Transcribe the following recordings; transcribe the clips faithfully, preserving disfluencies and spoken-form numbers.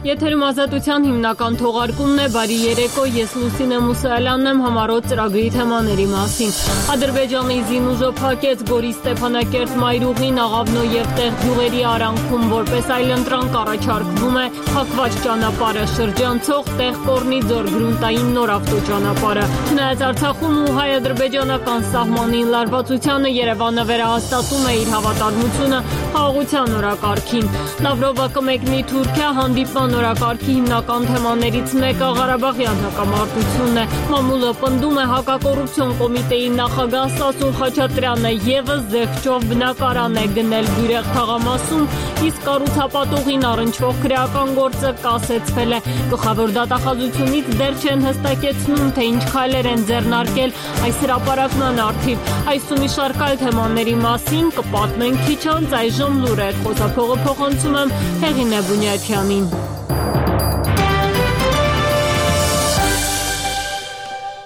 Եթերում ազատության հիմնական թողարկումն է, բարի երեկո, ես Լուսինե Մուսայելյանն եմ, համառոտ ծրագրի թեմաների մասին։ Ադրբեջանի զինուժը փակեց Գորի Ստեփանակերտ մայրուղին, Աղավնո եւ Տեղ գյուղերի արանքում, որպես այլընտրանք առաջարկվում է փակված ճանապարհը շրջանցող Տեղ Կորնի ձոր գրունտային նոր ավտոճանապարհը։ Չնայած Արցախում ու հայ-ադրբեջանական սահմանին լարվածությանը Երևանը վերահաստատում է իր հավատարմությունը խաղաղության օրակարգին։ Լավրովը կմեկնի Թուրքիա, հանդիպման օրակարգի հիմնական թեմաներից մեկը Ղարաբաղյան հակամարտությունն է։ Մամուլը պնդում է հակակոռուպցիոն կոմիտեի նախագահ Սասուն Խաչատրյանը ևս զեղչով բնակարան է գնել Բյուրեղ թաղամասում, իսկ կառուցապատողին առնչվող քրեական գործը կասեցվել է։ Գլխավոր դատախազությունից դեռ չեն հստակեցնում, թե ինչ քայլեր են ձեռնարկել այս հրապարակման առթիվ։ Այս ու մի շարք այլ թեմաների մասին կպատմենք քիչ անց, այժմ լուրեր, խոսափողը փոխանցում եմ Հեղինե Բունյաթյանին։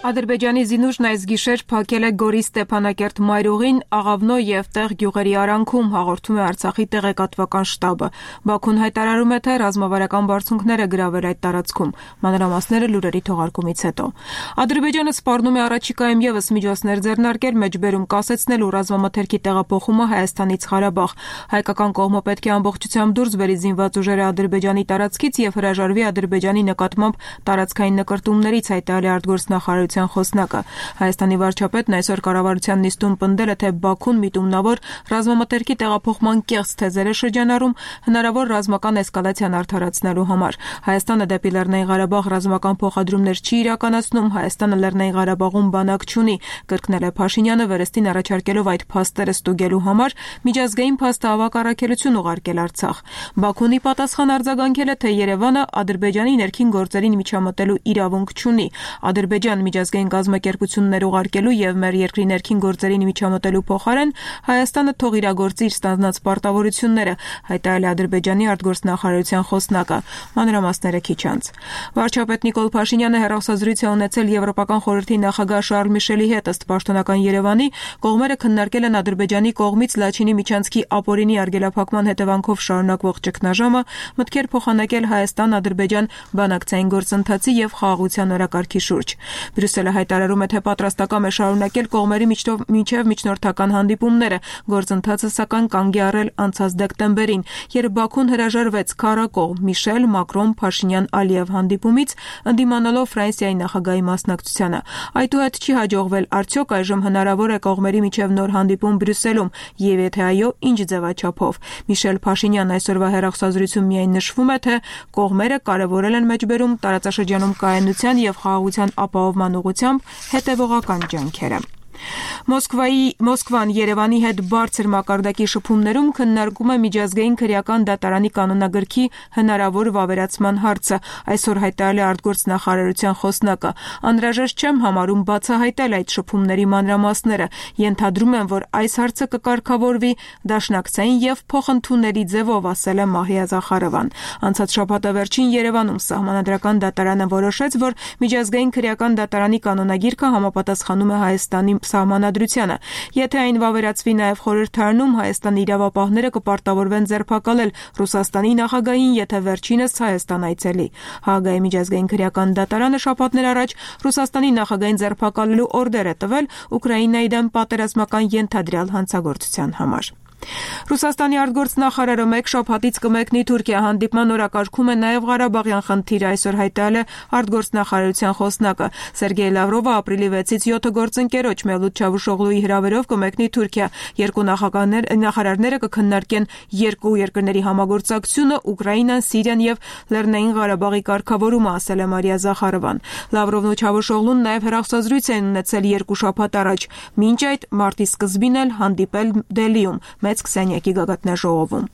Ադրբեջանի զինուժն այս գիշեր փակել է Գորի Ստեփանակերտ մայրուղին, Աղավնո եւ Տեղ գյուղերի արանքում, հաղորդում է Արցախի տեղեկատվական շտաբը։ Բաքուն հայտարարում է, թե ռազմավարական բարձունքներ է գրավել այդ տարածքում։ Մանրամասները լուրերի թողարկումից հետո։ Ադրբեջանը սպառնում է առաջիկայում եւս միջոցներ ձեռնարկել մեջբերում կասեցնելու ռազմամթերքի տեղափոխումը Հայաստանից Ղարաբաղ։ Հայկական կողմը պետք է ամբողջությամբ դուրս բերի զինված ուժերը Ադրբեջանի տարածքից եւ հրաժարվի Ադրբեջանի նկատմամբ տարածքային նկրտումներից, հայտարարել է արտգործնախարարության խոսնակը։ Հայաստանի վարչապետն այսօր կառավարության նիստում պնդել է, թե Բաքուն միտումնավոր ռազմամթերքի տեղափոխման կեղծ թեզեր է շրջանառում հնարավոր ռազմական էսկալացիան արդարացնելու համար։ Հայաստանը դեպի Լեռնային Ղարաբաղ ռազմական փոխադրումներ չի իրականացնում, Հայաստանը Լեռնային Ղարաբաղում բանակ չունի, կրկնել է Փաշինյանը, վերստին առաջարկելով այդ փաստերը ստուգելու համար միջազգային փաստահավաք առաքելություն ուղարկել Արցախ։ Բաքունի պատասխան արձագանքել է, թե Երևանը Ադրբեջանի ներքին գործերին միջամտելու իրավունք չունի։ Ադրբեջան միջազգային կազմակերպություններ ուղարկելու եւ մեր երկրի ներքին գործերին միջամտելու փոխարեն Հայաստանը թող իրագործի իր ստանձնած պարտավորությունները, հայտարարել է Ադրբեջանի արտգործնախարարության խոսնակը։ Մանրամասները քիչ անց։ Վարչապետ Նիկոլ Փաշինյանը հեռախոսազրույց է ունեցել Եվրոպական խորհրդի նախագահ Շարլ Միշելի հետ, ըստ պաշտոնական Երևանի, կողմերը քննարկել են Ադրբեջանի կողմից Լաչինի միջանցքի ապօրինի արգելափակման հետևանքով շարունակվող ճգնաժամը, մտքեր փոխանակել Հայաստան-Ադրբեջան բանակցային գործընթացի եւ խաղաղության օրակարգի շուրջ։ Բրյուսելը հայտարարում է, թե պատրաստական է շարունակել կողմերի միջև միջնորդական հանդիպումները, գործընթացը սակայն կանգ է առել անցած դեկտեմբերին, երբ Բաքուն հրաժարվեց քառակողմ Միշել, Մակրոն, Փաշինյան, Ալիև հանդիպումից, ընդդիմանալով Ֆրանսիայի նախագահի մասնակցությանը։ Այդուհետ չի հաջողվել, արդյոք այժմ հնարավոր է կողմերի միջև նոր հանդիպում Բրյուսելում, եւ եթե այո, ինչ ձևաչափով։ Միշել Փաշինյան այսօրվա հեռախոսազրույցում միայն նշվում է, թե կողմերը կարևորել են մեջբերում տարածաշրջանում կայունության եւ խաղաղության ապահովման ուղղությամբ հետևողական ջանքերը։ Մոսկվայի Մոսկվան Երևանի հետ բարձր մակարդակի շփումներում քննարկում է միջազգային քրեական դատարանի կանոնագրքի հնարավոր վավերացման հարցը, այսօր հայտարարել է արտգործնախարարության խոսնակը։ Անհրաժեշտ չեմ համարում բացահայտել այդ շփումների մանրամասները, ենթադրում եմ, որ այս հարցը կկարգավորվի դաշնակցային եւ փոխընդունելի ձևով, ասել է Մահիա Զախարովան։ Անցած շաբաթը վերջին Երևանում Սահմանադրական դատարանը որոշեց, որ միջազգային քրեական դատարանի կանոնագիրքը համապատասխանում է Հայաստանի Սահմանադրությանը։ Եթե այն վավերացվի նաև խորհրդարանում, Հայաստանի իրավապահները կպարտավորվեն ձերբակալել Ռուսաստանի նախագահին, եթե վերջինս Հայաստան այցելի։ Հաագայի միջազգային քրեական դատարանը շաբաթներ առաջ Ռուսաստանի նախագահին ձերբակալելու օրդեր է տվել Ուկրաինայի դեմ պատերազմական ենթադրյալ հանցագործության համար։ Ռուսաստանի արտգործնախարարը մեկ շաբաթից կմեկնի Թուրքիա, հանդիպման օրակարգում է նաև Ղարաբաղյան խնդիրը, այսօր հայտարարել է արտգործնախարարության խոսնակը։ Սերգեյ Լավրովը ապրիլի վեցից յոթը գործընկերոջ Մևլութ Չավուշօղլուի հրավերով կմեկնի Թուրքիա։ Երկու նախարարները կքննարկեն երկու երկրների համագործակցությունը, Ուկրաինան, Սիրիան եւ Լեռնային Ղարաբաղի կարգավորումը, ասել է Մարիա Զախարովան։ Լավրովն ու Չավուշօղլուն նաև հեռախոսազրույց են ունեցել երկու շաբաթ առաջ, մինչ այդ մարտի սկզբին էլ հանդիպել Դելիում մեծ քսանյակի գագաթնաժողովում։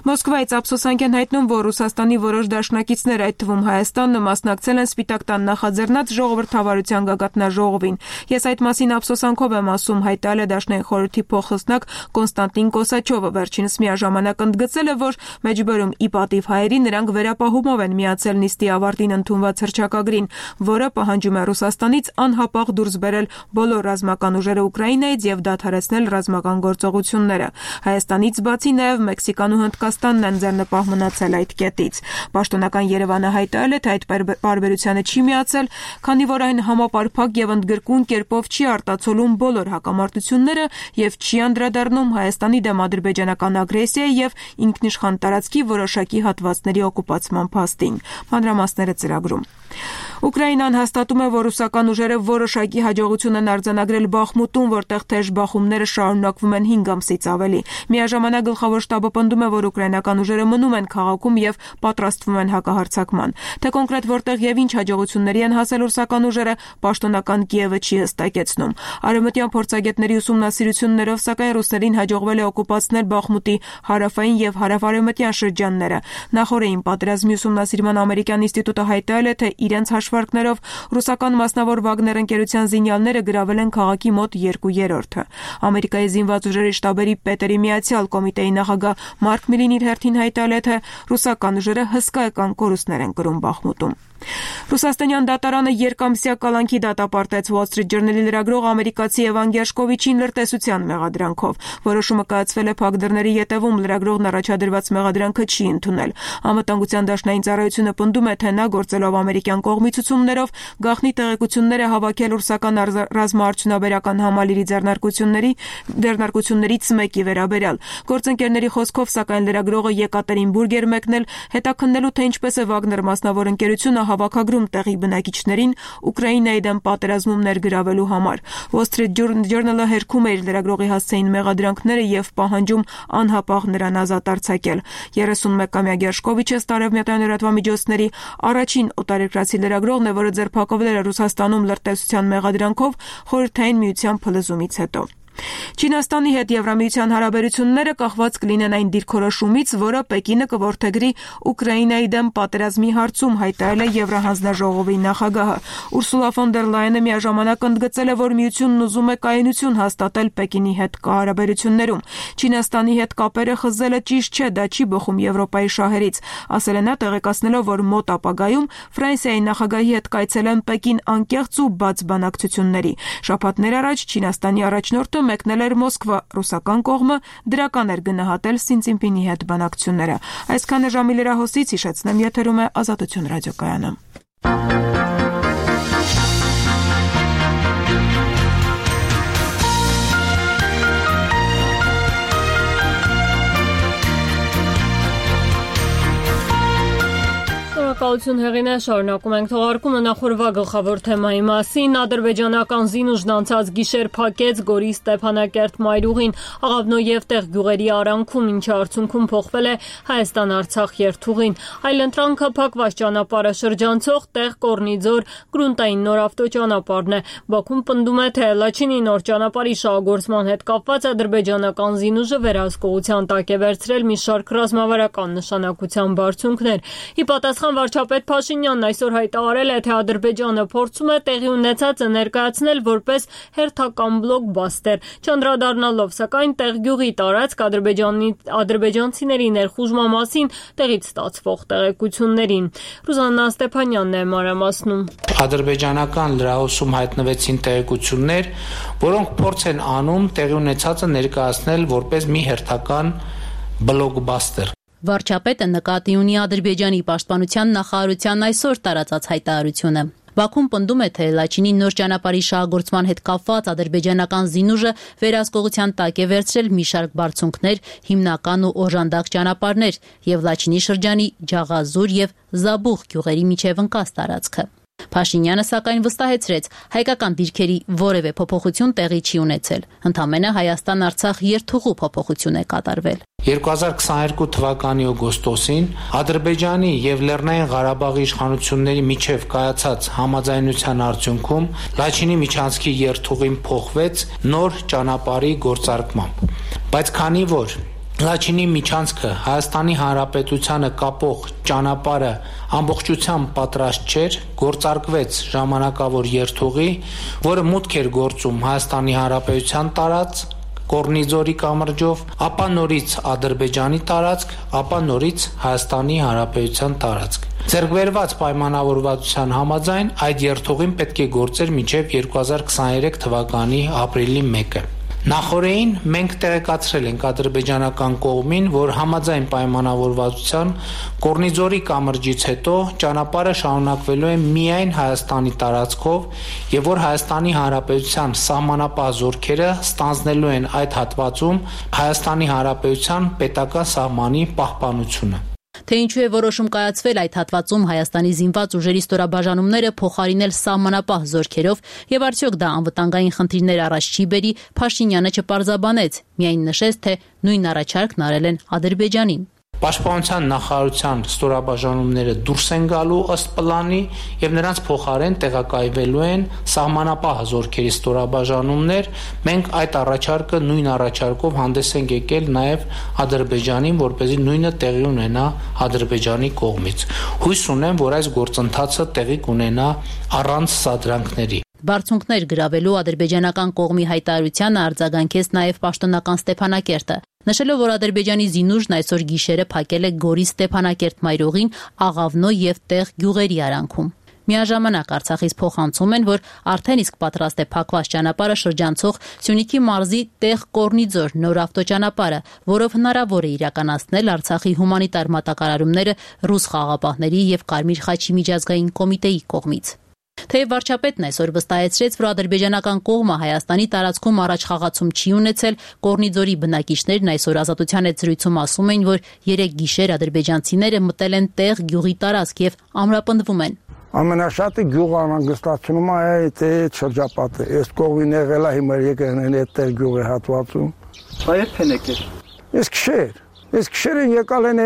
Մոսկվայից ափսոսանք են հայտնում, որ Ռուսաստանի որոշ դաշնակիցներ, այդ թվում Հայաստանը, մասնակցել են Սպիտակ տան նախաձեռնած ժողովրդավարության գագաթնաժողովին։ Ես այդ մասին ափսոսանքով եմ ասում, հայտարարել է Դաշնային խորհրդի փոխխոսնակ Կոնստանտին Կոսաչովը, վերջինս միաժամանակ ընդգծել է, որ մեջբերում ի պատիվ հայերի նրանք վերապահումով են միացել նիստի ավարտին ընդունված հռչակագրին, որը պահանջում է Ռուսաստանից անհապաղ դուրս բերել բոլոր ռազմական ուժերը Ուկրաինայից եւ դադարեցնել ռազմական գործողությունները։ Հայաստանից բացի նաև Մեքսիկան ու Հնդկաստանն են ձեռնպահ մնացել այդ կետից։ Պաշտոնական Երևանը հայտարարել է, թե այդ պարբերությանը չի միացել, քանի որ այն համապարփակ եւ ընդգրկուն կերպով չի արտացոլում բոլոր հակամարտությունները եւ չի անդրադառնում Հայաստանի դեմ ադրբեջանական ագրեսիայի եւ ինքնիշխան տարածքի որոշակի հատվածների օկուպացման փաստին։ Մանրամասները ծրագրում։ Ուկրաինան հաստատում է, որ ռուսական ուժերը որոշակի հաջողություն են արձանագրել Բախմուտում, որտեղ թեժ բախումները շարունակվում են հինգ ամսից ավելի։ Միաժամանակ գլխավոր շտաբը պնդում է, որ ուկրաինական ուժերը մնում են քաղաքում եւ պատրաստվում են հակահարձակման։ Թե կոնկրետ որտեղ եւ ինչ հաջողությունների են հասել ռուսական ուժերը, պաշտոնական Կիևը չի հստակեցնում։ Արևմտյան փորձագետների ուսումնասիրություններով, սակայն ռուսերին հաջողվել է օկուպացնել Բախմուտի հարավային եւ հարավարևմտյան շրջանները։ Նախորդին պատերազմի ուսումնասիրման ամերիկյան ինստիտուտը հայտարարել է, թե իրենց հաշվարկներով ռուսական մասնավոր Վագներ ընկերության զինյալները գրավել են քաղաքի մոտ երկու երրորդը։ Ամերիկայի զինված ուժերի շտաբերի պետերի միացյալ կոմիտեի նախագահ Մարկ Միլին իր հերթին հայտարարել է, թե ռուսական ուժերը հսկայական կորուստներ են կրում Բախմուտում։ Ռուսաստանյան դատարանը երկամսյա կալանքի դատապարտեց Wall Street Journal-ի լրագրող ամերիկացի Էվան Գերշկովիչին լրտեսության մեղադրանքով։ Որոշումը կայացվել է փակ դռների ետևում, լրագրողն առաջադրված մեղադրանքը չի ընդունել։ Անվտանգության դաշնային ծառայությունը պնդում է, թե նա գործելով ամերիկյան կողմի ցուցումներով գաղտնի տեղեկություններ է հավաքել ռուսական ռազմաարդյունաբերական համալիրի ձեռնարկությունների ձեռնարկություններից մեկի վերաբերյալ։ Գործընկերների խոսքով, սակայն լրագրողը Եկատերինբուրգ էր մեկնել հետաքննելու, թե ինչպես է Վագներ մասնավոր ընկերությունը հավաքագրում տեղի բնակիչներին Ուկրաինայի դեմ պատերազմում ներգրավելու համար։ Wall Street Journal-ը հերքում է իր լրագրողի հասցեին մեղադրանքները եւ պահանջում անհապաղ նրան ազատ արձակել։ երեսունմեկամյա Գերշկովիչը Ստարևմտյան լրատվամիջոցների առաջին օտարերկրացի լրագրողն է, որը ձերբակալվել է Ռուսաստանում լրտեսության մեղադրանքով Խորհրդային Միության փլուզումից հետո։ Չինաստանի հետ Եվրամիության հարաբերությունները կախված կլինեն այն դիրքորոշումից, որը Պեկինը կորդեգրի Ուկրաինայի դեմ պատերազմի հարցում, հայտարարել է Եվրահանձնաժողովի նախագահը։ Ուրսուլա ֆոն դեր Լայենը միաժամանակ ընդգծել է, որ միությունն ուզում է կայունություն հաստատել Պեկինի հետ հարաբերություններում։ Չինաստանի հետ կապերը խզելը ճիշտ չէ, դա չի բխում Եվրոպայի շահերից, ասել է նա, տեղեկացնելով, որ մոտ ապագայում Ֆրանսիայի նախագահի հետ կայցելեն Պեկին անկեղծ ու բաց բանակցությունների։ Շաբաթներ առաջ Չինաստանի առաջնորդը մեկնել էր Մոսկվա, ռուսական կողմը դրական էր գնահատել Սին Ցինպինի հետ բանակցությունները։ Այսքանը ժամի լրահոսից հիշեցնեմ, եթերում է Ազատություն ռադիոկայանը։ Շնորհակալություն Հեղինե, շարունակում ենք թողարկումը նախորդ գլխավոր թեմայի մասին։ Ադրբեջանական զինուժն անցած գիշեր փակեց Գորի Ստեփանակերտ մայրուղին Աղավնո եւ տեղ գյուղերի արանքում, ինչի արդյունքում փոխվել է Հայաստան-Արցախ երթուղին։ Այլընտրանքը փակված ճանապարհը շրջանցող տեղ Կորնիձոր գրունտային նոր ավտոճանապարհն է։ Բաքուն պնդում է, թե Լաչինի նոր ճանապարհի շահագործման հետ կապված ադրբեջանական զինուժը վերահսկողության տակ է վերցրել մի շարք ռազմավարական նշանակության բարձունքներ։ Ի պատասխան վարչապետ Փաշինյանն այսօր հայտարարել է, թե Ադրբեջանը փորձում է տեղի ունեցածը ներկայացնել որպես հերթական բլոկբաստեր, չանդրադառնալով սակայն տեղգյուղի տարածք Ադրբեջանի ադրբեջանցիների ներխուժման մասին տեղից ստացվող տեղեկություններին։ Ռուզաննա Ստեփանյանն է մանրամասնում։ Ադրբեջանական լրահոսում հայտնվեցին տեղեկություններ, որոնք փորձ են անում տեղի ունեցածը ներկայացնել որպես մի հերթական բլոկբաստեր։ Վարչապետը նկատի ունի Ադրբեջանի պաշտպանության նախարարության այսօր տարածած հայտարարությունը։ Բաքուն պնդում է, թե Լաչինի նոր ճանապարհի շահագործման հետ կապված ադրբեջանական զինուժը վերահսկողության տակ է վերցրել մի շարք բարձունքներ, հիմնական ու օժանդակ ճանապարհներ եւ Լաչինի շրջանի Ջաղազուր եւ Զաբուխ գյուղերի միջև ընկած տարածքը։ Փաշինյանը սակայն վստահեցրեց, հայկական դիրքերի որևէ փոփոխություն տեղի չի ունեցել։ Ընդամենը Հայաստան-Արցախ երթուղու փոփոխություն է կատարվել։ երկու հազար քսաներկու թվականի օգոստոսին Ադրբեջանի եւ Լեռնային Ղարաբաղի իշխանությունների միջև կայացած համաձայնության արդյունքում Լաչինի միջանցքի երթուղին փոխվեց նոր ճանապարհի գործարկմամբ։ Բայց քանի որ Լաչինի միջանցքը Հայաստանի Հանրապետությանը կապող ճանապարհը ամբողջությամբ պատրաստ չէր, գործարկվեց ժամանակավոր երթուղի, որը մուտք էր գործում Հայաստանի Հանրապետության տարածք Կորնիձորի կամրջով, ապա նորից Ադրբեջանի տարածք, ապա նորից Հայաստանի Հանրապետության տարածք։ Ձեռքբերված պայմանավորվածության համաձայն այդ երթուղին պետք է գործեր մինչև երկու հազար քսաներեք թվականի ապրիլի մեկը։ Նախորդին մենք տեղեկացրել ենք ադրբեջանական կողմին, որ համաձայն պայմանավորվածության Կորնիձորի կամրջից հետո ճանապարհը շարունակվելու է միայն Հայաստանի տարածքով եւ որ Հայաստանի Հանրապետության սահմանապահ զորքերը ստանձնելու են այդ հատվածում Հայաստանի Հանրապետության պետական սահմանի պահպանությունը։ Թե ինչու է որոշում կայացվել այդ հատվածում Հայաստանի զինված ուժերի ստորաբաժանումները փոխարինել սահմանապահ զորքերով եւ արդյոք դա անվտանգային խնդիրներ առաջ չի բերի, Փաշինյանը չպարզաբանեց, միայն նշեց, թե նույն առաջարկն արել են Ադրբեջանին։ Պաշտպանության նախարարության ստորաբաժանումները դուրս են գալու ըստ պլանի եւ նրանց փոխարեն տեղակայվելու են սահմանապահ զորքերի ստորաբաժանումներ։ Մենք այդ առաջարկը նույն առաջարկով հանդես ենք եկել նաեւ Ադրբեջանին, որպեսզի նույնը տեղի ունենա Ադրբեջանի կողմից։ Հույս ունեմ, որ այս գործընթացը տեղի կունենա առանց սադրանքների։ Բարձունքներ գրավելու ադրբեջանական կողմի հայտարարությանը արձագանքեց նաև պաշտոնական Ստեփանակերտը, նշելով, որ Ադրբեջանի զինուժն այսօր գիշերը փակել է Գորի Ստեփանակերտ մայրուղին Աղավնո եւ Տեղ գյուղերի արանքում։ Միաժամանակ Արցախից փոխանցում են, որ արդեն իսկ պատրաստ է փակված ճանապարհը շրջանցող Սյունիքի մարզի Տեղ Կորնիձոր նոր ավտոճանապարհը, որով հնարավոր է իրականացնել Արցախի հումանիտար մատակարարումները ռուս խաղաղապահների եւ Կարմիր խաչի միջազգային կոմիտեի կողմից։ Թեև վարչապետն այսօր վստահեցրեց, որ ադրբեջանական կողմը Հայաստանի տարածքում առաջ խաղացում չի ունեցել, Կորնիձորի բնակիչներն այսօր Ազատության հետ զրույցում ասում են, որ երեք գիշեր ադրբեջանցիները մտել են Տեղ գյուղի տարածք եւ ամրապնդվում են։ Ամենաշատը գյուղը անհանգստացնում է այդ շրջապատը։ Այս կողմին եղել է հիմա եկել են այդ Տեղ գյուղի հատվածում։ Այդ են եկել։ Այս քշեր Ես քշերին եկալ են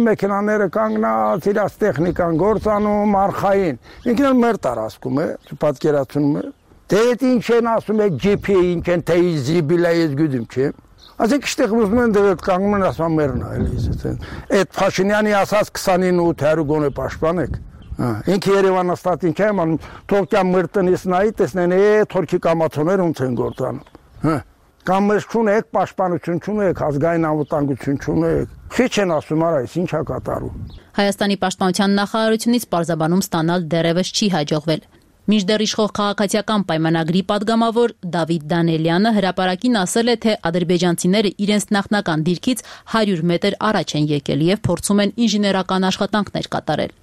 մեքենաները կանգնած, իրաց տեխնիկան գործանում, արխային։ Ինքն էլ մեր տարածքում է, պատկերացնում է։ Դե ինչ են ասում է ջիփի, ինչ են թե զիբիլա ես գյուդում չէ։ Ասենք այստեղ ուզում են դեռ կանգնում են ասում մերն է էլի։ Այդ Փաշինյանի ասած քսանինը ութ գոնե պաշտպանեք։ Ինքը Երևանը ստատին չէ, ման թորքյան մեր տնից նայի տեսնեն է թորքի կամացոներ ոնց են գործանում։ Հա Կամ մեզ չունեք, պաշտպանություն չունեք, ազգային անվտանգություն չունեք։ Քիչ են ասում, արայս ինչա կատարում։ Հայաստանի պաշտպանության նախարարությունից պարզաբանում ստանալ դեռևս չի հաջողվել։ Մինչդեռ իշխող քաղաքացիական պայմանագրի падգամավոր Դավիթ Դանելյանը հրապարակին ասել է, թե ադրբեջանցիները իրենց նախնական դիրքից հարյուր մետր առաջ են եկել եւ փորձում են ինժեներական աշխատանքներ կատարել։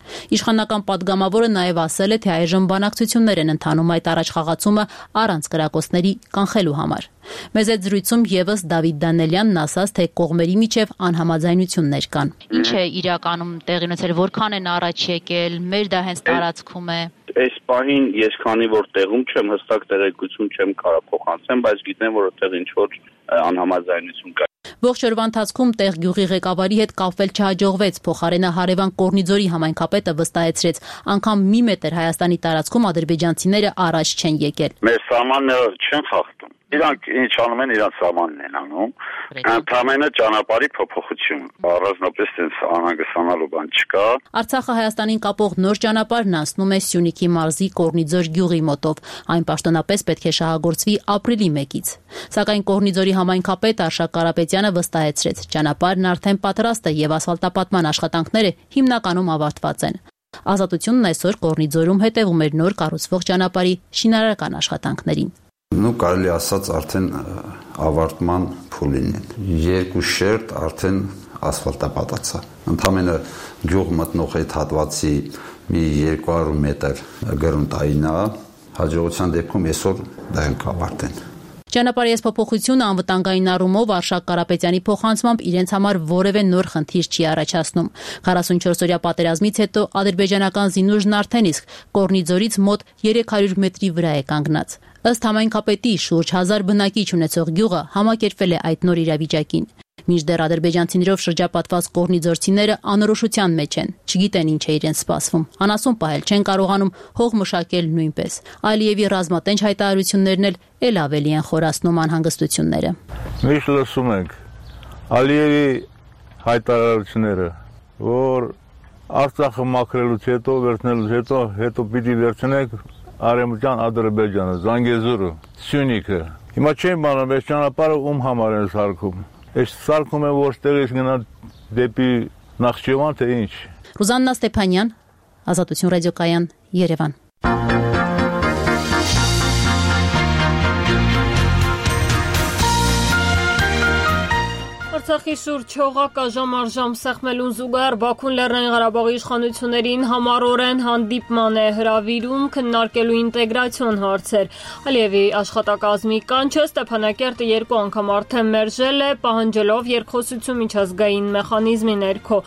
Իշխանական падգամավորը նաեւ ասել է, թե այժմ բանակցություններ են ընթանում այդ առաջխաղացումը առանց կրակոցների կանխելու համար։ Մեզ այդ զրույցում եւս Դավիթ Դանելյանն ասաց, թե կողմերի միջև անհամաձայնություններ կան։ Ինչ է իրականում տեղի ունեցել, որքան են առաջ եկել, մեր դա հենց տարածքում է։ Այս պահին ես քանի որ տեղում չեմ, հստակ տեղեկություն չեմ կարող փոխանցեմ, բայց գիտեմ, որ այդտեղ ինչ որ անհամաձայնություն կա։ Ողջ օրվա ընթացքում Տեղ գյուղի ղեկավարի հետ կապվել չհաջողվեց, փոխարենը հարևան Կորնիձորի համայնքապետը վստահեցրեց, անգամ մի մետր Հայաստանի տարածքում ադրբեջանցիները առաջ չեն եկել։ Մեր սահմանները չեն խախտում։ Իրանք ինչ անում են, իրանք սահմանն են անում։ Ընդամենը ճանապարհի փոփոխություն, առանձնապես այնց անհանգստանալու բան չկա։ Արցախը Հայաստանին կապող նոր ճանապարհն անցնում է Սյունիքի մարզի Կորնիձոր գյուղի մոտով։ Այն պաշտոնապես պետք է շահագործվի ապրիլի մեկից։ Սակայն Կորնիձորի համայնքապետ Արշակ Կարապետյանը վստահեցրեց, ճանապարհն արդեն պատրաստ է եւ ասֆալտապատման աշխատանքները հիմնականում ավարտված են։ Ազատությունն այսօր Կորնիձորում հետևում էր նոր կառուցվող ճանապարհի շինարարական աշխատանքներին։ Ну, կարելի ասած արդեն ավարտման փուլին են։ Երկու շերտ արդեն ասֆալտապատացա։ Ընդամենը գյուղ մտնող այդ հատվածի մի երկու հարյուր մետր գրունտային է, հաջողության դեպքում այսօր դա էլ կավարտեն։ Ճանապարհի այս փոփոխությունը անվտանգային առումով Արշակ Կարապետյանի փոխանցմամբ իրենց համար որևէ նոր խնդիր չի առաջացնում։ քառասունչորս օրյա պատերազմից հետո ադրբեջանական զինուժն արդեն իսկ Կորնիձորից մոտ երեք հարյուր մետրի վրա է կանգնած։ Ըստ համայնքապետի շուրջ հազար բնակիչ ունեցող գյուղը համակերպվել է այդ նոր իրավիճակին։ Մինչդեռ ադրբեջանցիներով շրջապատված կորնիձորցիները անորոշության մեջ են, չգիտեն ինչ է իրենց սպասվում, անասուն պահել չեն կարողանում, հող մշակել նույնպես։ Ալիևի ռազմատենչ հայտարարություններն էլ էլ ավելի են խորացնում անհանգստությունները։ Միշտ լսում ենք Ալիևի հայտարարությունները, որ Արցախը մաքրելուց հետո, վերցնելուց հետո, հետո պիտի վերցնենք Արևմտյան Ադրբեջանը, Զանգեզուրը, Սյունիքը։ Հիմա չեմ բանում, այս ճանապարհը ում համար են սարքում։ Այս սարքում է ոչ տեղից գնա դեպի Նախճեվան, թե ինչ։ Ռուզաննա Ստեփանյան, Ազատություն ռադիոկայան, Երևան։ Արցախի շուրջ չողակա ժամ-առժամ սեղմելուն զուգահեռ Բաքուն Լեռնային Ղարաբաղի իշխանություններին համառորեն հանդիպման է հրավիրում քննարկելու ինտեգրացիոն հարցեր։ Ալիևի աշխատակազմի կանչը Ստեփանակերտը երկու անգամ արդեն մերժել է, պահանջելով երկխոսություն միջազգային մեխանիզմի ներքո։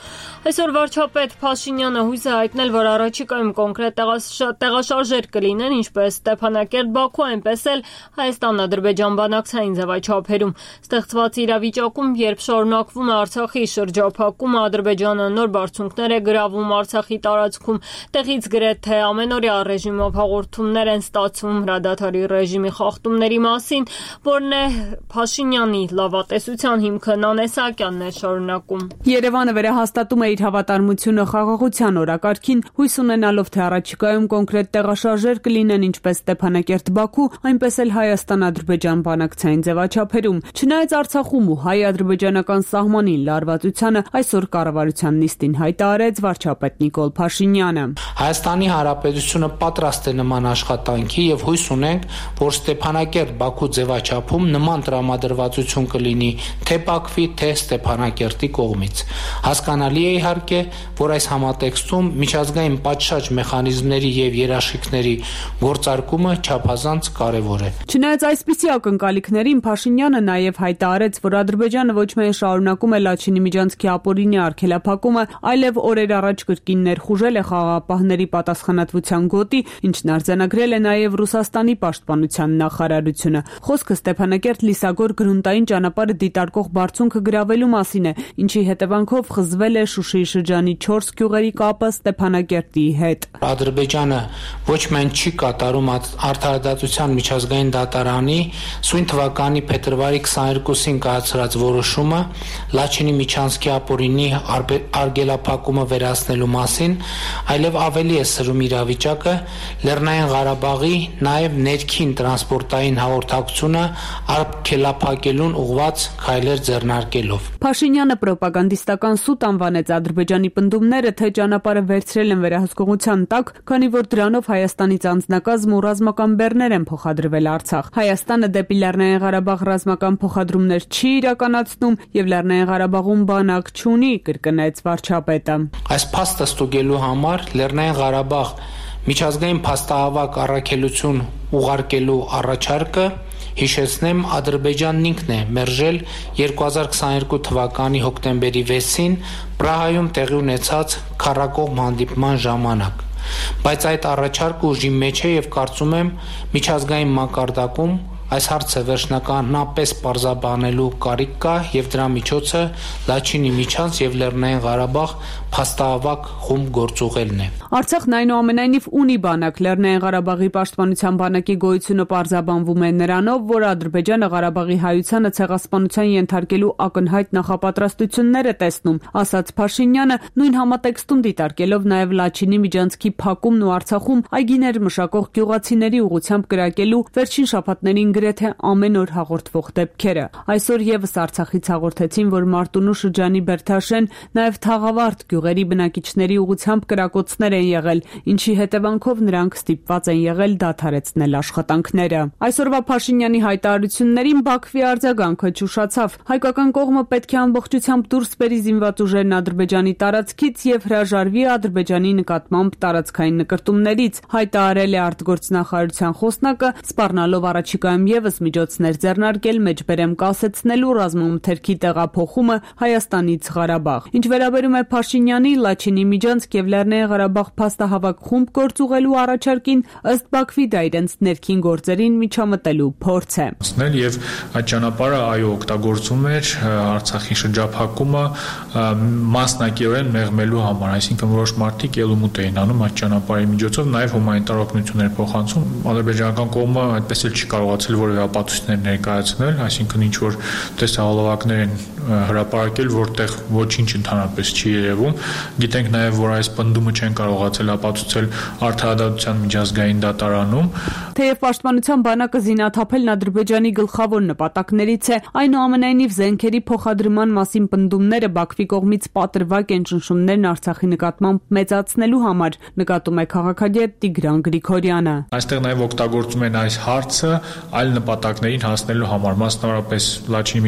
Այսօր վարչապետ Փաշինյանը հույս է հայտնել, որ առաջիկայում կոնկրետ տեղաշարժեր կլինեն, ինչպես Ստեփանակերտ-Բաքու, այնպես էլ Հայաստան-Ադրբեջան բանակցային ձևաչափերում։ Ստեղծված իրավիճակում, երբ շարունակվում է Արցախի շրջափակումը, Ադրբեջանը նոր բարձունքներ է գրավում Արցախի տարածքում, տեղից գրեթե ամենօրյա ռեժիմով հաղորդումներ են ստացվում հրադադարի ռեժիմի խախտումների մասին, որն է Փաշինյանի լավատեսության հիմքը, Նանե Սահակյանն է շարունակում։ Երևանը վերահաստատում է իր հավատարմությունը խաղաղության օրակարգին, հույս ունենալով, թե առաջիկայում կոնկրետ տեղաշարժեր կլինեն ինչպես Ստեփանակերտ-Բաքու, այնպես էլ Հայաստան-Ադրբեջան բանակցային ձևաչափերում։ Չնայած Արցախում ու հայ-ադրբեջանական սահմանին լարվածությանը, այսօր կառավարության նիստին հայտարարեց վարչապետ Նիկոլ Փաշինյանը։ Հայաստանի Հանրապետությունը պատրաստ է նման աշխատանքի եւ հույս ունենք, որ Ստեփանակերտ-Բաքու ձևաչափում նման տրամադրվածություն կլինի թե Բաքվի, թե Ստեփանակերտի կողմից։ Հասկանալի է իհարկե, որ այս համատեքստում միջազգային պատշաճ մեխանիզմների եւ երաշխիքների գործարկումը չափազանց կարեւոր է։ Չնայած այսպիսի ակնկալիքներին, Փաշինյանը նաեւ հայտարարեց, որ Ադրբեջանը ոչ միայն շարունակում է Լաչինի միջանցքի ապօրինի արգելափակումը, այլև օրեր առաջ կրկին ներխուժել է խաղաղապահների պատասխանատվության գոտի, ինչն արձանագրել է նաեւ Ռուսաստանի պաշտպանության նախարարությունը։ Խոսքը Ստեփանակերտ-Լիսագոր գրունտային ճանապարհը դիտարկող բարձունքը գրավելու մասին է, ինչի հետևանքով խզվել է Շուշիի շրջանի չորս գյուղերի կապը Ստեփանակերտի հետ։ Ադրբեջանը ոչ միայն չի կատարում Արդարադատության միջազգային դատարանի սույն թվականի փետրվարի քսաներկուսին կայացրած որոշումը Լաչինի միջանցքի ապօրինի արգելափակումը վերացնելու մասին, այլև ավելի է սրում իրավիճակը Լեռնային Ղարաբաղի նաև ներքին տրանսպորտային հաղորդակցությունը արգելափակելուն ուղղված քայլեր ձեռնարկելով։ Փաշինյանը պրոպագանդիստական սուտ անվանեց Ադրբեջանի պնդումները, թե ճանապարհը վերցրել են վերահսկողության տակ, քանի որ դրանով Հայաստանից անձնակազմ ու ռազմական բեռներ են փոխադրվել Արցախ։ Հայաստանը դեպի Լեռնային Ղարաբաղ ռազմական փոխադրումներ չի իրականացնում եւ Լեռնային Ղարաբաղում բանակ չունի, կրկնեց վարչապետը։ Այս փաստը ստուգելու համար Լեռնային Ղարաբաղ միջազգային փաստահավաք առաքելություն ուղարկելու առաջարկը հիշեցնեմ Ադրբեջանն ինքն է մերժել երկու հազար քսաներկու թվականի հոկտեմբերի վեցին Պրահայում տեղի ունեցած քառակողմ հանդիպման ժամանակ, բայց այդ առաջարկը ուժի մեջ է եւ կարծում եմ միջազգային մակարդակում այս հարցը վերջնականապես պարզաբանելու կարիք կա եւ դրա միջոցը Լաչինի միջանց եւ Լեռնային Ղարաբաղ փաստահավաք խումբ գործուղելն է։ Արցախն այնուամենայնիվ ունի բանակ։ Լեռնային Ղարաբաղի պաշտպանության բանակի գոյությունը պարզաբանվում է նրանով, որ Ադրբեջանը Ղարաբաղի հայությանը ցեղասպանության ենթարկելու ակնհայտ նախապատրաստություններ է տեսնում, ասաց Փաշինյանը, նույն համատեքստում դիտարկելով նաեւ Լաչինի միջանցքի փակումն ու Արցախում այգիներ մշակող գյուղացիների ուղղությամբ կրակելու վերջին շաբաթներին գրեթե ամեն օր հաղորդվող դեպքերը։ Այսօր եւս Արցախից հաղորդեցին, որ Մարտունու շրջանի Բերթաշեն, նաեւ Թաղավարտ գյուղերի բնակիչների ուղղությամբ կրակոցներ են եղել, ինչի հետևանքով նրանք ստիպված են եղել դադարեցնել աշխատանքները։ Այսօրվա Փաշինյանի հայտարարություններին Բաքվի արձագանքը ճուշացավ։ Հայկական կողմը պետք է ամբողջությամբ դուրս բերի զինված ուժերն Ադրբեջանի տարածքից եւ հրաժարվի Ադրբեջանի նկատմամբ տարածքային նկրտումներից, հայտարարել է արտգործնախարարության խոսնակը, սպառնալով առաջիկայում եւս միջոցներ ձեռնարկել մեջբերեմ կասեցնելու ռազմամթերքի տեղափոխումը Հայաստանից Ղարաբաղ։ Ինչ վերաբերում է Փաշինյանի Լաչինի միջանցք եւ Լեռնային Ղարաբաղ փաստահավաք խումբ գործուղելու առաջարկին, ըստ Բաքվի դա իրենց ներքին գործերին միջամտելու փորձ է։ Եվ այդ ճանապարհը այո օգտագործում էր Արցախի շրջափակումը մասնակիորեն մեղմելու համար, այսինքն որոշ մարդիկ ելումուտ էին անում այդ ճանապարհի միջոցով, նաեւ հումանիտար օգնություններ փոխանցում։ Ադրբեջանական կողմը այդպես էլ չի կարողացել որևէ ապացույցներ ներկայացնել, այսինքն ինչ որ տեսահոլովակներ են հրապարակել, որտեղ ոչինչ ընդհանրապես չի երևում։ Գիտենք նաև, որ այս պնդումը չեն կարողացել ապացուցել Արդարադատության միջազգային դատարանում։ Թեև պաշտպանության բանակը զինաթափելն Ադրբեջանի գլխավոր նպատակներից է, այնուամենայնիվ զենքերի փոխադրման մասին պնդումները Բաքվի կողմից պատրվակ են ճնշումներն Արցախի նկատմամբ մեծացնելու համար, նկատում է քաղաքագետ Տիգրան Գրիգորյանը։ Այստեղ նաև օգտագործում են այս հարցը այլ նպատակներին հասնելու համար, մասնավորապես Լաչինի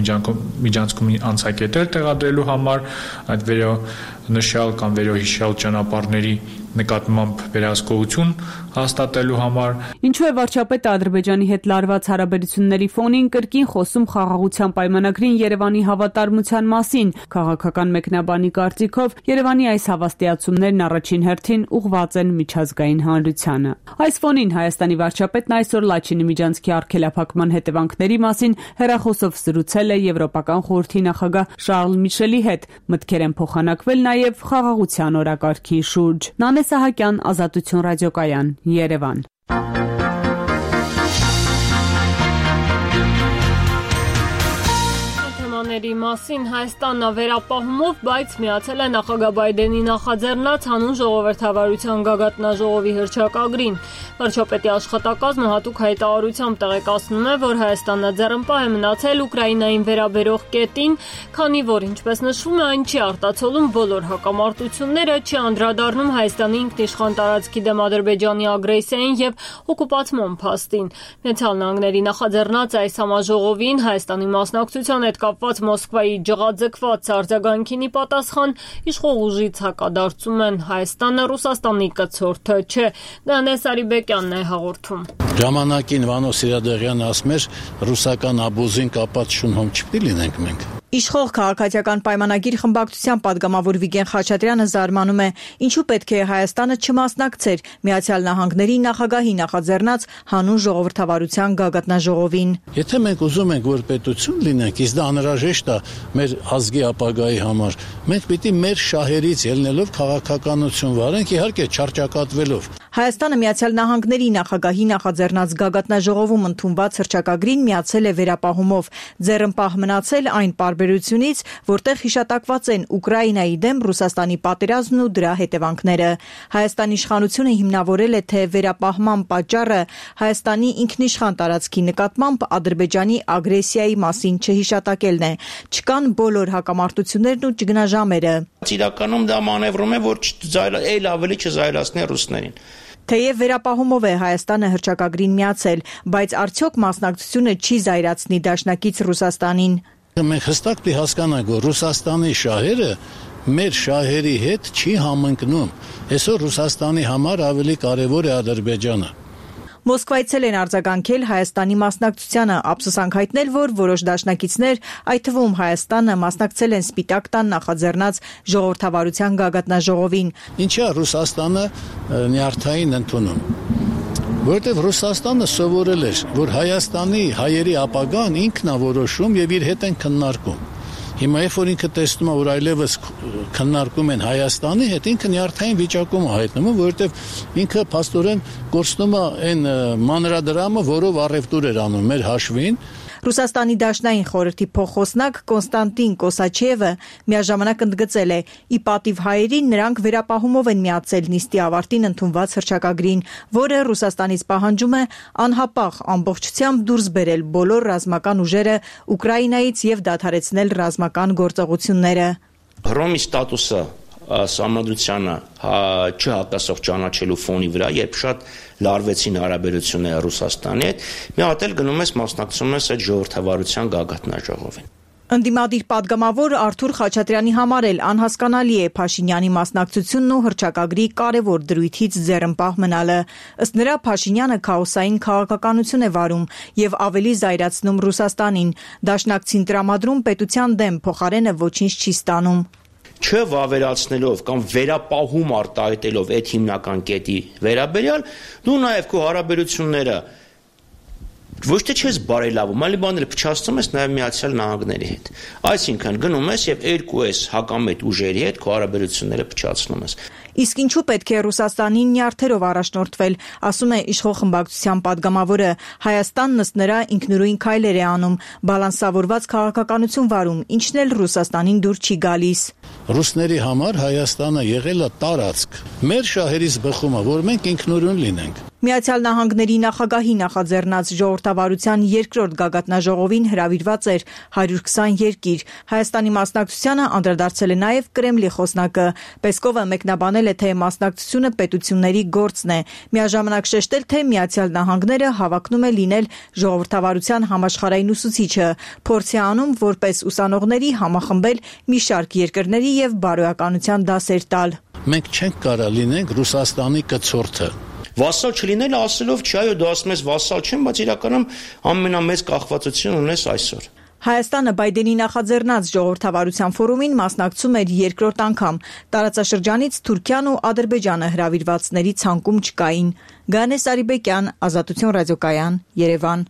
միջանցքում անցակետեր տեղադրելու համար, այդ վերոնշյալ կամ վերոհիշյալ ճանապարհների նկատմամբ վերահսկողություն հաստատելու համար։ Ինչու է վարչապետը Ադրբեջանի հետ լարված հարաբերությունների ֆոնին կրկին խոսում խաղաղության պայմանագրին Երևանի հավատարմության մասին։ Քաղաքական մեկնաբանի կարծիքով Երևանի այս հավաստիացումներն առաջին հերթին ուղղված են միջազգային հանրությանը։ Այս ֆոնին Հայաստանի վարչապետն այսօր Լաչինի միջանցքի արգելափակման հետևանքների մասին հեռախոսով զրուցել է Եվրոպական խորհրդի նախագահ Շարլ Միշելի հետ։ Մտքեր են փոխանակվել նաև խաղաղության օրակարգի շուրջ։ Նանե Սահակյան, Ազատություն ռադիոկայան, Երևան։ Ների մասին Հայաստանն վերապահումով, բայց միացել է նախագահ Բայդենի նախաձեռնած հանուն ժողովրդավարության գագաթնաժողովի հռչակագրին։ Վարչապետի աշխատակազմը հատուկ հայտարարությամբ տեղեկացնում է, որ Հայաստանը ձեռնպահ է մնացել Ուկրաինային վերաբերող կետին, քանի որ, ինչպես նշվում է, այն չի արտացոլում բոլոր հակամարտությունները, չի անդրադառնում Հայաստանի ինքնիշխան տարածքի դեմ Ադրբեջանի ագրեսիային եւ օկուպացիոն փաստին։ Միացյալ Նահանգների նախաձեռնած այս համաժողովին Հայաստանի մասնակցության հետ կապված Մոսկվայի ջղաձգված արձագանքին ի պատասխան իշխող ուժից հակադարձում են Հայաստանը Ռուսաստանի կցորդը չէ։ Նանե Սարիբեկյանն է հաղորդում։ Ժամանակին Վանո Սիրադեղյանը ասում էր ռուսական աբուզին կապած շունհոմ չպետք է լինենք մենք։ Իշխող քաղաքացիական պայմանագիր խմբակցության падգամավոր Վիգեն Խաչատրյանը զարմանում է, ինչու պետք է Հայաստանը չմասնակցեր Միացյալ Նահանգների նախագահի նախաձեռնած հանուն ժողովրդավարության գագաթնաժողովին։ Եթե մենք ուզում ենք, որ պետություն լինենք, իսկ դա անհրաժեշտ է մեր ազգի ապագայի համար, մենք պիտի մեր շահերից ելնելով քաղաքականություն վարենք, իհարկե չարճակատվելով։ Հայաստանը Միացյալ Նահանգների նախագահի նախաձեռնած գագաթնաժողովում ընդունված հռչակագրին միացել է վերապահումով, ձեռնպահ մնացել այն պարբերությունից, որտեղ հիշատակված են Ուկրաինայի դեմ Ռուսաստանի պատերազմն ու դրա հետևանքները։ Հայաստանի իշխանությունը հիմնավորել է, թե վերապահման պատճառը Հայաստանի ինքնիշխան տարածքի նկատմամբ Ադրբեջանի ագրեսիայի մասին չհիշատակելն է։ Չկան բոլոր հակամարտություններն ու ճգնաժամերը։ Իրականում դա մանևրում է, որ այլ ավելի չզայրացնի ռուսներին։ Թեև վերապահումով է Հայաստանը հռչակագրին միացել, բայց արդյոք մասնակցությունը չի զայրացնի դաշնակից Ռուսաստանին։ Մենք հստակ պիտի հասկանանք, որ Ռուսաստանի շահերը մեր շահերի հետ չի համընկնում։ Այսօր Ռուսաստանի համար ավելի կարևոր է Ադրբեջանը։ Մոսկվայցել են արձագանքել Հայաստանի մասնակցությանը, ափսոսանք հայտնել, որ որոշ դաշնակիցներ, այդ թվում Հայաստանը, մասնակցել են Սպիտակ տան նախաձեռնած ժողովրդավարության գագաթնաժողովին։ Ինչա Ռուսաստանը նյարդային ընդունում։ Որտեւ Ռուսաստանը սովորել էր, որ Հայաստանի հայերի ապագան ինքն է որոշում եւ իր հետ են քննարկում։ Հիմա երբ որ ինքը տեսնում է, որ այլևս քննարկում են Հայաստանի հետ, ինքը նյարդային վիճակում է հայտնվում, որովհետև ինքը փաստորեն կորցնում է այն մանրադրամը, որով առևտուր էր անում մեր հաշվին։ Ռուսաստանի դաշնային խորհրդի փոխխոսնակ Կոնստանտին Կոսաչևը միաժամանակ ընդգծել է, ի պատիվ հայերին նրանք վերապահումով են միացել նիստի ավարտին ընդունված հռչակագրին, որը Ռուսաստանից պահանջում է անհապաղ ամբողջությամբ դուրս բերել բոլոր ռազմական ուժերը Ուկրաինայից եւ դադարեցնել ռազմական գործողությունները։ Հռոմի ստատուսը Սահմանադրությանը չհատասող ճանաչելու ֆոնի վրա, երբ շատ լարվեցին հարաբերությունները Ռուսաստանի հետ, մի հատ էլ գնում ես մասնակցում ես այդ ժողովրդավարության գագաթնաժողովին։ Ընդդիմադիր падգամավոր Արթուր Խաչատրյանի համար էլ անհասկանալի է Փաշինյանի մասնակցությունն ու հռչակագրի կարևոր դրույթից ձեռնպահ մնալը։ Ըստ նրա Փաշինյանը քաոսային քաղաքականություն է վարում եւ ավելի զայրացնում Ռուսաստանին։ Դաշնակցին տրամադրում պետության դեմ, փոխարենը ոչինչ չի ստանում։ Չվավերացնելով կամ վերապահում արտահայտելով այդ հիմնական կետի վերաբերյալ, դու նաև քո հարաբերությունները ոչ թե չես բարելավում, այլ բաները փչացնում ես նաև Միացյալ Նահանգների հետ։ Այսինքն գնում ես եւ երկու ես հակամետ ուժերի հետ քո հարաբերությունները փչացնում ես։ Իսկ ինչու պետք է Ռուսաստանին նյարդերով առաջնորդվել, ասում է իշխող խմբակցության падգամավորը, Հայաստանն ըստ նրա ինքնուրույն քայլեր է անում, բալանսավորված քաղաքականություն վարում, ինչն էլ Ռուսաստանին դուր չի գալիս։ Ռուսների համար Հայաստանը եղել է տարածք։ Մեր շահերից բխում է, որ մենք ինքնուրույն լինենք։ Միացյալ Նահանգների նախագահի նախաձեռնած ժողովրդավարության երկրորդ գագաթնաժողովին հրավիրված էր հարյուր քսան երկիր։ Հայաստանի մասնակցությանը անդրադարձել է նաև Կրեմլի խոսնակը։ Պեսկովը մեկնաբանել է, թե մասնակցությունը պետությունների գործն է։ Միաժամանակ շեշտել, թե Միացյալ Նահանգները հավակնում է լինել ժողովրդավարության համաշխարհային ուսուցիչը, փորձ է անում որպես ուսանողների համախմբել մի շարք երկրների եւ բարոյականության դասեր տալ։ Մենք չենք կարող լինենք Ռուսաստանի կցորդը։ Վասալ չլինելը ասելով չի, այո, դու ասում ես վասալ չեմ, բայց իրականում ամենամեծ կախվածություն ունես այսօր։ Հայաստանը Բայդենի նախաձեռնած ժողովրդավարության ֆորումին մասնակցում էր երկրորդ անգամ։ Տարածաշրջանից Թուրքիան ու Ադրբեջանը հրավիրվածների ցանկում չկային։ Գանե Սարիբեկյան, Ազատություն ռադիոկայան, Երևան։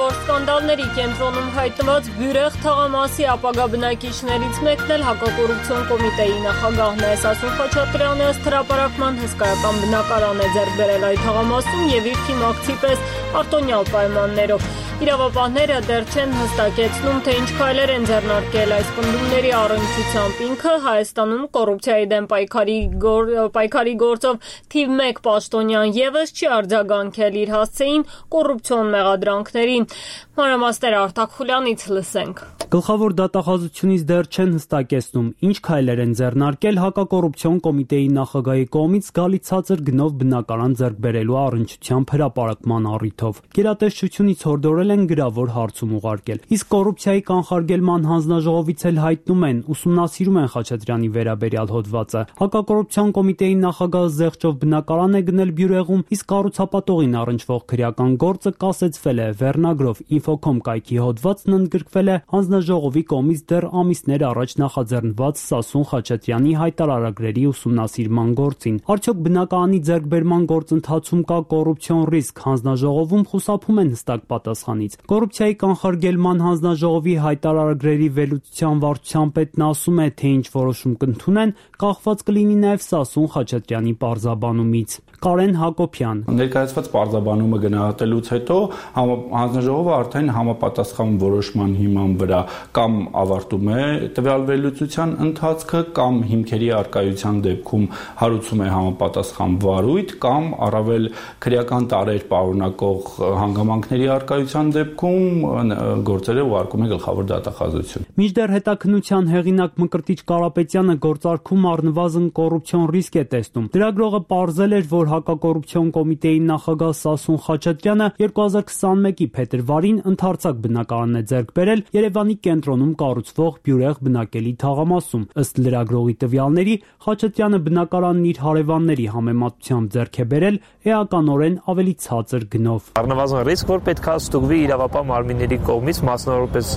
Որ սկանդալների կենտրոնում հայտնված Բյուրեղ թաղամասի ապագա բնակիչներից մեկն էլ հակակոռուպցիոն կոմիտեի նախագահն է։ Սասուն Խաչատրյանը ըստ հրապարակման հսկայական բնակարան է ձեռք բերել այդ թաղամասում եւ իր թիմակցի պես արտոնյալ պայմաններով։ Իրավապահները դեռ չեն հստակեցնում, թե ինչ քայլեր են ձեռնարկել այս պնդումների առնչությամբ։ Ինքը Հայաստանում կոռուպցիայի դեմ պայքարի գոր, պայքարի գործով թիվ մեկ պաշտոնյան եւս չի արձագանքել իր հասցեին կոռուպցիոն մեղադրանքներին։ Մանրամասները Արտակ Խուլյանից լսենք։ Գլխավոր դատախազությունից դեռ չեն հստակեցնում, ինչ քայլեր են ձեռնարկել հակակոռուպցիոն կոմիտեի նախագահի կողմից զգալի ցածր գնով բնակարան ձեռք բերելու առնչությամբ հրապարակման առիթով։ Գերատեսչությունից հորդորել են գրավոր հարցում ուղարկել։ Իսկ կոռուպցիայի կանխարգելման հանձնաժողովից էլ հայտնում են, ուսումնասիրում են Խաչատրյանի վերաբերյալ հոդվածը։ Հակակոռուպցիոն կոմիտեի նախագահը զեղչով բնակարան է գնել Բյուրեղում, իսկ կառուցապատողին առնչվող քրեական գործը կասեցվել է վերնագրով Infocom կայքի հոդվածն ընդգրկվել է հանձնաժողովի կողմից դեռ ամիսներ առաջ նախաձեռնված Սասուն Խաչատրյանի հայտարարագրերի ուսումնասիրման գործին։ Արդյոք բնակարանի ձեռքբերման գործընթացում կա կոռուպցիոն ռիսկ, հանձնաժողովում խուսափում են հստակ պատասխանից։ Կոռուպցիայի կանխարգելման հանձնաժողովի հայտարարագրերի վերլուծության վարչության պետն ասում է, թե ինչ որոշում կընդունեն, կախված կլինի նաև Սասուն Խաչատրյանի պարզաբանումից։ Կարեն Հակոբյան ներկայացված պարզաբանումը գնահատելուց հետո հանձնաժողովը արդեն համապատասխան որոշման հիման վրա կամ ավարտում է տվյալ վերլուծության ընթացքը կամ հիմքերի արկայության դեպքում հարուցում է համապատասխան վարույթ կամ առավել քրեական տարեր պարունակող հանգամանքների արկայության դեպքում գործերը ուղարկում է գլխավոր դատախազություն։ Մինչդեռ հետաքննության հեղինակ Մկրտիչ Կարապետյանը գործարքում առնվազն կոռուպցիոն ռիսկ է տեսնում։ Լրագրողը պարզել էր, որ հակակոռուպցիոն կոմիտեի նախագահ Սասուն Խաչատրյանը երկու հազար քսանմեկի փետրվարին ընդարձակ բնակարան է ձեռք բերել Երևանի կենտրոնում կառուցվող Բյուրեղ բնակելի թաղամասում։ Ըստ լրագրողի տվյալների, Խաչատրյանը բնակարանն իր հարևանների համեմատությամբ ձեռք է բերել էականորեն ավելի ցածր գնով։ Առնվազն ռիսկ, որ պետք է ստուգվի իրավապահ մարմինների կողմից, մասնավորապես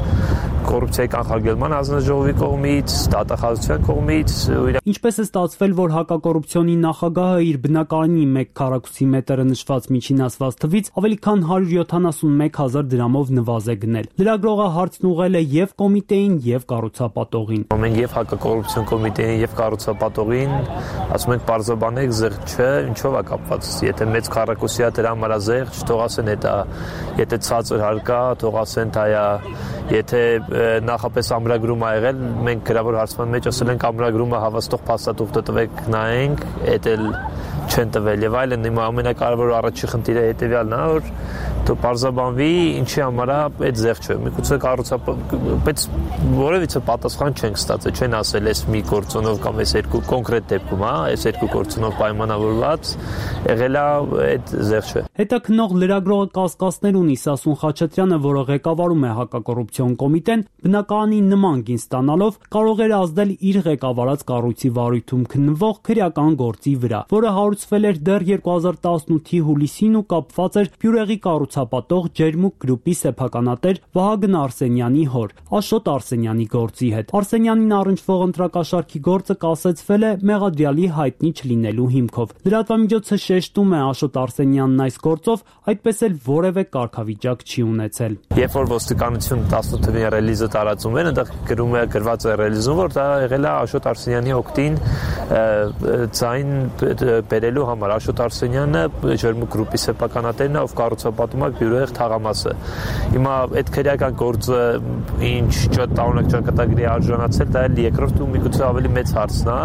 կոռուպցիայի կանխարգելման հանձնաժողովի կողմից, դատախազության կողմից։ Ինչպես է ստացվել, որ հակակոռուպցիոնի նախագահը իր բնակարանի մեկ քառակուսի մետրը նշված միջին ասված թվից ավելի քան հարյուր յոթանասունմեկ հազար դրամով նվազ է գնել։ Լրագրողը հարցն ուղղել է եւ կոմիտեին, եւ կառուցապատողին։ Մենք եւ հակակոռուպցիոն կոմիտեին եւ կառուցապատողին ասում ենք պարզաբանեք զեղչ չէ, ինչով է կապված։ Եթե մեծ քառակուսի է դրա համար զեղչ, թող ասեն դա, եթե ցածր հարկա, թող ասեն դա է, եթե նախապես ամրագրում ա եղել, մենք գրավոր հարցման մեջ ասել ենք ամրագրումը հավաստող փաստաթուղթը տվեք նայենք, էդ էլ չեն տվել եւ այլն։ Հիմա ամենակարևոր առաջի խնդիրը հետեւյալն է, որ դու պարզաբանվի ինչի համար է այդ զեղչը։ Միգուցե կառուցապատող, բայց որևիցե պատասխան չենք ստացել, չեն ասել էս մի գործոնով կամ էս երկու կոնկրետ դեպքում, հա, էս երկու գործոնով պայմանավորված եղել է այդ զեղչը։ Հետաքննող լրագրողը կասկածներ ունի Սասուն Խաչատրյանը, որը ղեկավարում է հակակոռուպցիոն կոմիտեն, բնակարանի նման գին ստանալով կարող էր ազդել իր ղեկավարած կառույցի վարույթում քննվող քրեական գործի վրա, որը հարուցվել էր դեռ երկու հազար տասնութի հուլիսին ու կապված էր Բյուրեղի կառուցապատող Ջերմուկ գրուպի սեփականատեր Վահագն Արսենյանի հոր Աշոտ Արսենյանի գործի հետ։ Արսենյանին առնչվող ընտրակաշարքի գործը կասեցվել է մեղադրյալի հայտնի չլինելու հիմքով։ Լրատվամիջոցը շեշտում է Աշոտ Արսենյանն այս գործով այդպես էլ որևէ կարգավիճակ չի ունեցել։ Երբ որ ոստիկանություն տասնութ թվականին ռելիզը տարածում են, այնտեղ գրում է գրված է ռելիզում, որ դա եղել է Աշոտ Արսենյանի օգտին ձայն բերելու բերելու համար Աշոտ Արսենյանը Ջերմուկ գրուպի սեփականատերն է, ով կառուցապատում է Բյուրեղ թաղամասը։ Հիմա այդ քրեական գործը ինչ ճտանակ ճակատագրի արժանացել, դա էլ երկրորդ ու միգուցե ավելի մեծ հարցն է։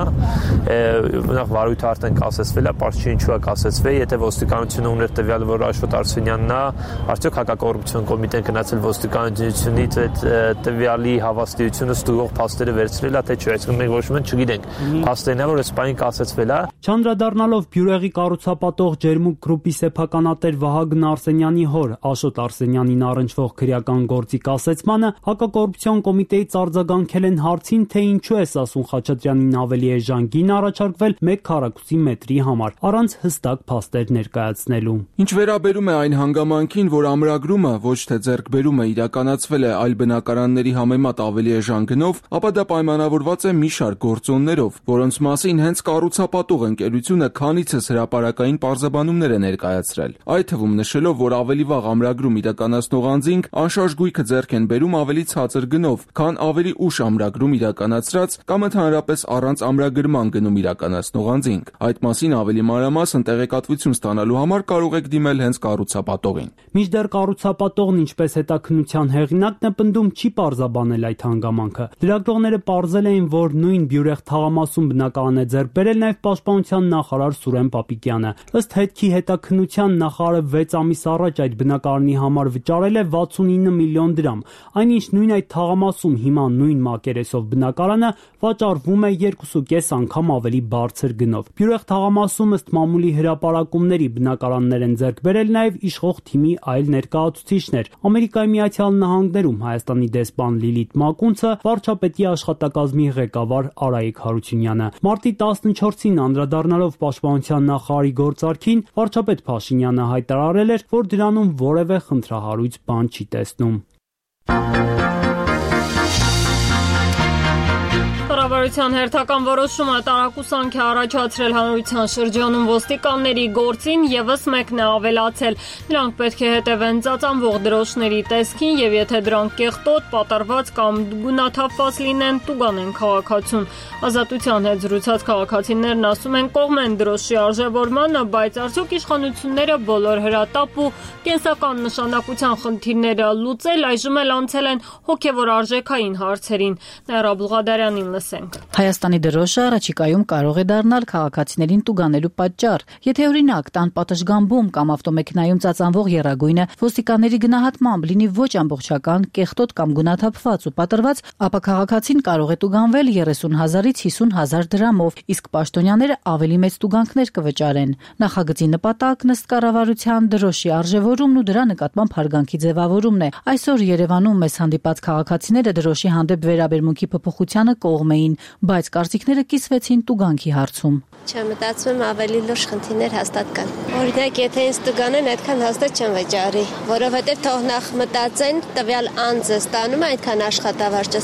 Նախ վարույթը արդեն կասեցվել է, պարզ չի ինչու է կասեցվել, եթե ոստիկանությունը ուներ տվյալը, որ Աշոտ Արսենյանն է, արդյոք հակակոռուպցիոն կոմիտեն գնացել ոստիկանությունից այդ տվյալի հավաստիությունը ստուգող փաստերը վերցրել է, թե չէ, այսինքն մենք ոչ մենք չգիտենք։ Փաստերն է, որ այս բանը կասեցվել է։ Չանդրադառնալով Բյուրեղի կառուցապատող Ջերմուկ գրուպի սեփականատեր Վահագն Արսենյանի հոր Աշոտ Արսենյանին առնչվող քրեական գործի կասեցմանը, հակակոռուպցիոն կոմիտեից արձագանքել են հարցին, թե ինչու է Սասուն Խաչատրյանին ավելի էժան գին առաջարկվել մեկ քառակուսի մետրի համար, առանց հստակ փաստեր ներկայացնելու։ Ինչ վերաբերում է այն հանգամանքին, որ ամրագրումը ոչ թե ձեռքբերումը իրականացվել է այլ բնակարանների համեմատ ավելի էժան գնով, ապա դա պայմանավորված է մի շարք գործոններով, որոնց մասին հենց կառուցապատող ընկերությունը քանիցս հրապարակային պարզաբանումներ է ներկայացրել, այդ թվում նշելով, որ ավելի վաղ ամրագրում իրականացնող անձինք անշարժ գույքը ձեռք են բերում ավելի ցածր գնով, քան ավելի ուշ ամրագրում իրականացրած կամ ընդհանրապես առանց ամրագրման գնում իրականացնող անձինք։ Այդ մասին ավելի մանրամասն տեղեկատվություն ստանալու համար կարող եք դիմել հենց կառուցապատողին։ Մինչդեռ կառուցապատողն, ինչպես հետաքննության հեղինակն է պնդում, չի պարզաբանել այդ հանգամանքը։ Լրագրողները պարզել էին, որ նույն Բյուրեղ թաղամասում բնակարան է ձեռք բերել նաև պաշտպանության նախարար Սուրեն Պապիկյանը։ Ըստ հետքի հետաքննության նախարարը վեց ամիս առաջ այդ բնակարանի համար վճարել է վաթսունինը միլիոն դրամ, այնինչ նույն այդ թաղամասում հիմա նույն մակերեսով բնակարանը վաճառվում է երկուսուկես անգամ ավելի բարձր գնով։ Բյուրեղ թաղամասում ըստ մամուլի հրապարակումների բնակարաններ են ձեռք բերել նաև իշխող թիմի այլ ներկայացուցիչներ։ Ամերիկայի Միացյալ Նահանգներում Հայաստանի դեսպան Լիլիթ Մակունցը, վարչապետի աշխատակազմի ղեկավար Արայիկ Հարությունյանը։ Մարտի տասնչորսին անդրադառնալով պաշտպանության նախարարի գործարքին, վարչապետ Փաշինյանը հայտարարել էր, որ դրանում որևէ խնդրահարույց բան չի տեսնում։ Կառավարության հերթական որոշումը տարակուսանք է առաջացրել հանրության շրջանում ոստիկանների գործին եւս մեկն է ավելացել։ Նրանք պետք է հետևեն ծածանվող դրոշների տեսքին եւ եթե դրանք կեղտոտ, պատառված կամ գունաթափված լինեն, տուգանեն քաղաքացուն։ Ազատության հետ զրուցած քաղաքացիներն ասում են կողմ են դրոշի արժևորմանը, բայց արդյոք իշխանությունները բոլոր հրատապ ու կենսական նշանակության խնդիրները լուծել, այժմ էլ անցել են հոգեվոր արժեքային հարցերին։ Նաիրա Բուլղադարյանին լսենք։ Հայաստանի դրոշը առաջիկայում կարող է դառնալ քաղաքացիներին տուգանելու պատճառ։ Եթե օրինակ տան պատշգամբում կամ ավտոմեքենայում ծածանվող եռագույնը ոստիկանների գնահատմամբ լինի ոչ ամբողջական, կեղտոտ կամ գունաթափված ու պատրված, ապա քաղաքացին կարող է տուգանվել երեսուն հազարից հիսուն հազար դրամով, իսկ պաշտոնյաները ավելի մեծ տուգանքներ կվճարեն։ Նախագծի նպատակն ըստ կառավարության դրոշի արժևորումն ու դրա նկատմամբ հարգանքի ձևավորումն է։ Այսօր Երևանում մեզ հանդիպած քաղաքացիները դրոշի հանդեպ վերաբերմունքի փոփոխությանը կողմ էին, բայց կարծիքները կիսվեցին տուգանքի հարցում։ Չեմ մտածում ավելի լուրջ խնդիրներ հաստատ կան։ Օրինակ, եթե ինձ տուգանեն, այդքան հաստատ չեմ վճարի, որովհետև թող նախ մտածեն տվյալ անձը ստանում է այդքան աշխատավարձ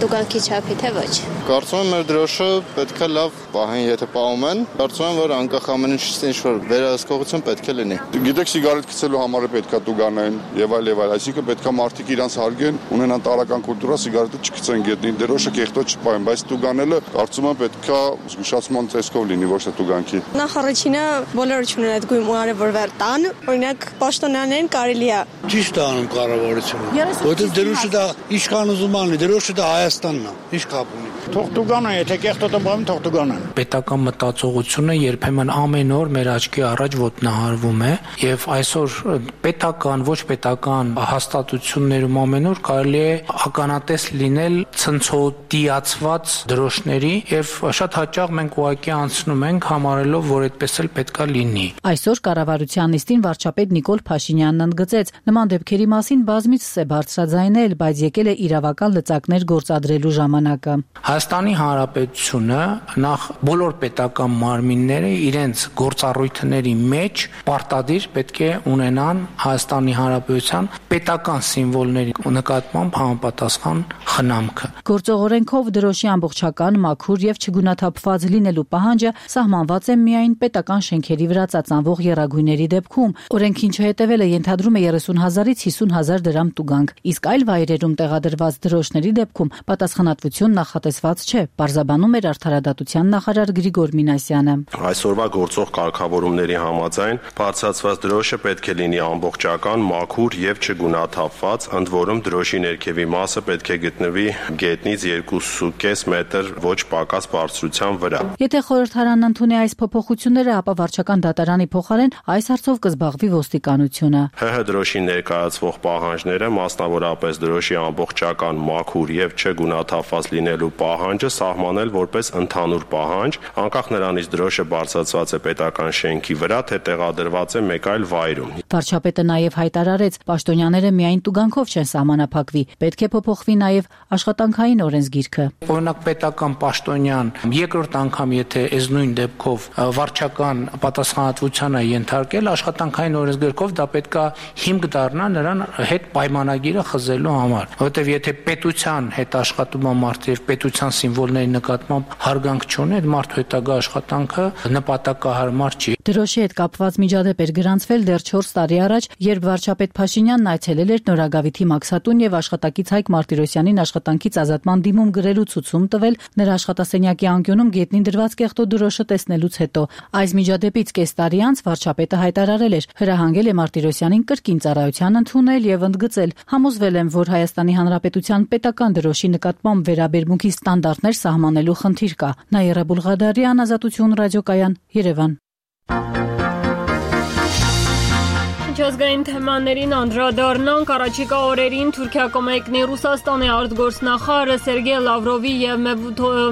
տուգանքի չափի, թե ոչ։ Կարծում եմ, մեր դրոշը պետք է լավ պահեն, եթե պահում են, կարծում եմ, որ անկախ ամեն ինչից ինչ-որ վերահսկողություն պետք է լինի։ Գիտեք, սիգարետ գցելու համար պետք է տուգանեն եւ այլ եւ այլ, այսինքն պետք է մարդիկ իրանց հարգեն, ունենան տարական կուլտուրա, սիգարետը չգցեն գետնին, դրոշը կեղտոտ չպահեն, բայց տուգանելը կարծում եմ պետք է զգուշացման տեսքով լինի, ոչ թե տուգանքի։ Նախ առաջինը բոլորը չունեն այդ գույն արևորվեր տան, օրինակ պաշտոնյաներին կարելի է։ Ճիշտ է անում կառավարությունը։ Որտեղ դրոշը դա իշխան ուզում անի, դրոշը դա Հայաստանն է, ինչ կապ ունի։ Թող տուգանան, եթե կեղտոտը բան, թող տուգանան։ Պետական մտածողությունը երբեմն ամեն օր մեր աչքի առաջ ոտնահարվում է եւ այսօր պետական, ոչ պետական հաստատություններում ամեն օր կարելի է ականատես լինել ցնցոտիացված դրոշների եւ շատ հաճախ մենք ուղղակի անցնում ենք համարելով, որ այդպես էլ պետքա լինի։ Այսօր կառավարության նիստին վարչապետ Նիկոլ Փաշինյանն ընդգծեց, նման դեպքերի մասին բազմիցս է բարձրաձայնել, բայց եկել է իրավական լծակներ գործադրելու ժամանակը։ Հայաստանի Հանրապետությունը նախ բոլոր պետական մարմինները իրենց գործառույթների մեջ պարտադիր պետք է ունենան Հայաստանի Հանրապետության պետական սիմվոլների նկատմամբ համապատասխան խնամքը։ Գործող օրենքով դրոշի ամբողջական, մաքուր եւ չգունաթափված լինելու պահանջը սահմանված է միայն պետական շենքերի վրա ծածանվող եռագույնների դեպքում։ Օրենքին չհետևելը ենթադրում է երեսուն հազարից հիսուն հազար դրամ տուգանք, իսկ այլ վայրերում տեղադրված դրոշների դեպքում պատասխանատվություն նախատեսված կապված չէ, պարզաբանում էր արդարադատության նախարար Գրիգոր Մինասյանը։ Այսօրվա գործող կարգավորումների համաձայն բարձրացված դրոշը պետք է լինի ամբողջական, մաքուր եւ չգունաթափված, ընդ որում դրոշի ներքևի մասը պետք է գտնվի գետնից երկու կես մետր ոչ պակաս բարձրության վրա։ Եթե խորհրդարանն ընդունի այս փոփոխությունները, ապա վարչական դատարանի փոխարեն այս հարցով կզբաղվի ոստիկանությունը։ ՀՀ դրոշի ներկայացվող պահանջները, մասնավորապես դրոշի ամբողջական, մաքուր եւ չգունաթափված լինելու պահանջը սահմանել որպես ընդհանուր պահանջ, անկախ նրանից դրոշը բարձրացված է պետական շենքի վրա, թե տեղադրված է մեկ այլ վայրում։ Վարչապետը նաև հայտարարեց, պաշտոնյաները միայն տուգանքով չեն սահմանափակվի, պետք է փոփոխվի նաև աշխատանքային օրենսգիրքը։ Օրինակ պետական պաշտոնյան երկրորդ անգամ եթե այս նույն դեպքով վարչական պատասխանատվության է ենթարկել, աշխատանքային օրենսգրքով դա պետքա հիմք դառնա նրան հետ պայմանագիրը խզելու համար, որովհետև եթե պետության հետ աշխատում է մարդը եւ պետության սիմվոլների նկատմամբ հարգանք չունի, այդ մարդու հետագա աշխատանքը նպատակահարմար չի։ Դրոշի հետ կապված միջադեպ էր գրանցվել դեռ չորս տարի առաջ, երբ վարչապետ Փաշինյանն այցելել էր Նորագավիթի Մաքսատուն եւ աշխատակից Հայկ Մարտիրոսյանին աշխատանքից ազատման դիմում գրելու ցուցում տվել նրա աշխատասենյակի անկյունում գետնին դրված կեղտո դրոշը տեսնելուց հետո։ Այս միջադեպից կես տարի անց վարչապետը հայտարարել էր, հրահանգել է Մարտիրոսյանին կրկին ծառայության ընդունել եւ ընդգծել։ Համոզվել եմ, որ Հայաստանի Հանրապետության պետական դրոշի նկատմամբ վերաբերմունքի ստանդարտներ սահմանելու խնդիր կա։ Նաիրա Բուլղադարյան, Ազատություն ռադիոկայան, Երևան։ Միջազգային թեմաներին անդրադառնանք, առաջիկա օրերին Թուրքիա կմեկնի Ռուսաստանի արտգործնախարարը Սերգեյ Լավրովի եւ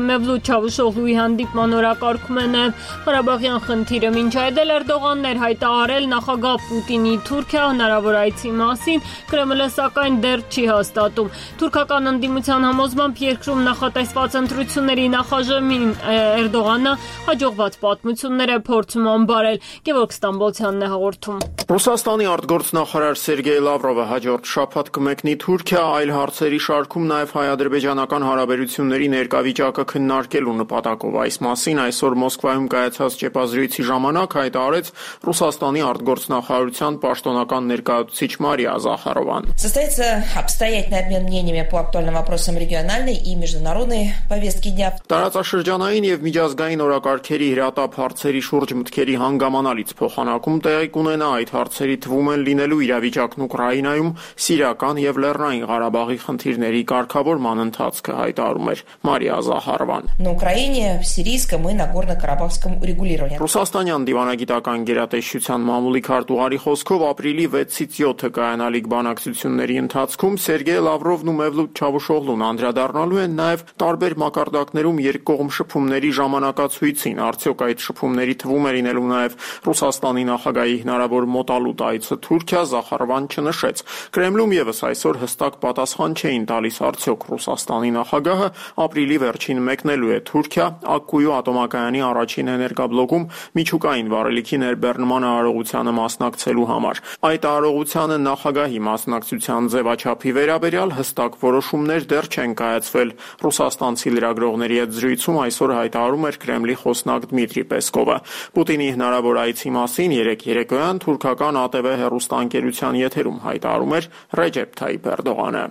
Մևլութ Չավուշօղլուի հանդիպման օրակարգում է նաեւ Ղարաբաղյան խնդիրը։ Մինչ այդ էլ Էրդողանն էր հայտարարել նախագահ Պուտինի Թուրքիա հնարավոր այցի մասին, Կրեմլը սակայն դեռ չի հաստատում։ Թուրքական ընդդիմության համոզմամբ երկրում նախատեսված ընտրությունների նախաժամին Էրդողանը հաջողված պատմություններ է փորձում անբարել։ Գևորգ Ստամբոլցյանն է հաղորդում։ Ռուսաստանի արտգործնախարար Սերգեյ Լավրովը հաջորդ շաբաթ կմեկնի Թուրքիա, այլ հարցերի շարքում նաև հայ-ադրբեջանական հարաբերությունների ներկայվիճակը քննարկելու նպատակով։ Այս մասին այսօր Մոսկվայում կայացած ճեպազրույցի ժամանակ հայտարարեց Ռուսաստանի արտգործնախարարության պաշտոնական ներկայացուցիչ Մարիա Զախարովան։ Состоится обстоятельный обмен мнениями по актуальным вопросам региональной и международной повестки дня. Տարածաշրջանային եւ միջազգային օրակարգերի հրատապ հարցերի շուրջ մտքերի հանգամանալից փոխանակում տեղի կունենա այդ հարցերի թվում են լինելու իրավիճակն Ուկրաինայում, Սիրիական եւ Լեռնային Ղարաբաղի խնդիրների կարգավորման ընթացքը, հայտարարում էր Մարիա Զախարովան։ На Украине, в Сирийском и Нагорно-Карабахском урегулировании. Ռուսաստանյան դիվանագիտական գերատեսչության մամուլի քարտուղարի խոսքով ապրիլի վեցից յոթը կայանալիք բանակցությունների ընթացքում Սերգեյ Լավրովն ու Մևլութ Չավուշօղլուն անդրադառնալու են նաեւ տարբեր մակարդակներում երկկողմ շփումների ժամանակացույցին։ Արդյոք այդ շփումների թվում է լինելու նաեւ Ռուսաստանի նախագահի հնարավոր մոտալուտ այցը Թուրքիա, Զախարովան չնշեց։ Կրեմլում եւս այսօր հստակ պատասխան չէին տալիս արդյոք Ռուսաստանի նախագահը ապրիլի վերջին մեկնելու է Թուրքիա, Ակկույու ատոմակայանի առաջին էներգաբլոկում միջուկային վառելիքի ներբեռնման արարողությանը մասնակցելու համար։ Այդ արարողությանը նախագահի մասնակցության ձևաչափի վերաբերյալ հստակ որոշումներ դեռ չեն կայացվել։ Ռուսաստանցի լրագրողների հետ զրույցում այսօր հայտարարում էր Կրեմլի խոսնակ Դմիտրի Պեսկովը։ Պուտինի հնարավոր այցի մասին երեկ երեկոյան թուրքական A T V հեռուստաընկերության եթերում հայտարարում էր Ռեջեփ Թայիփ Էրդողանը։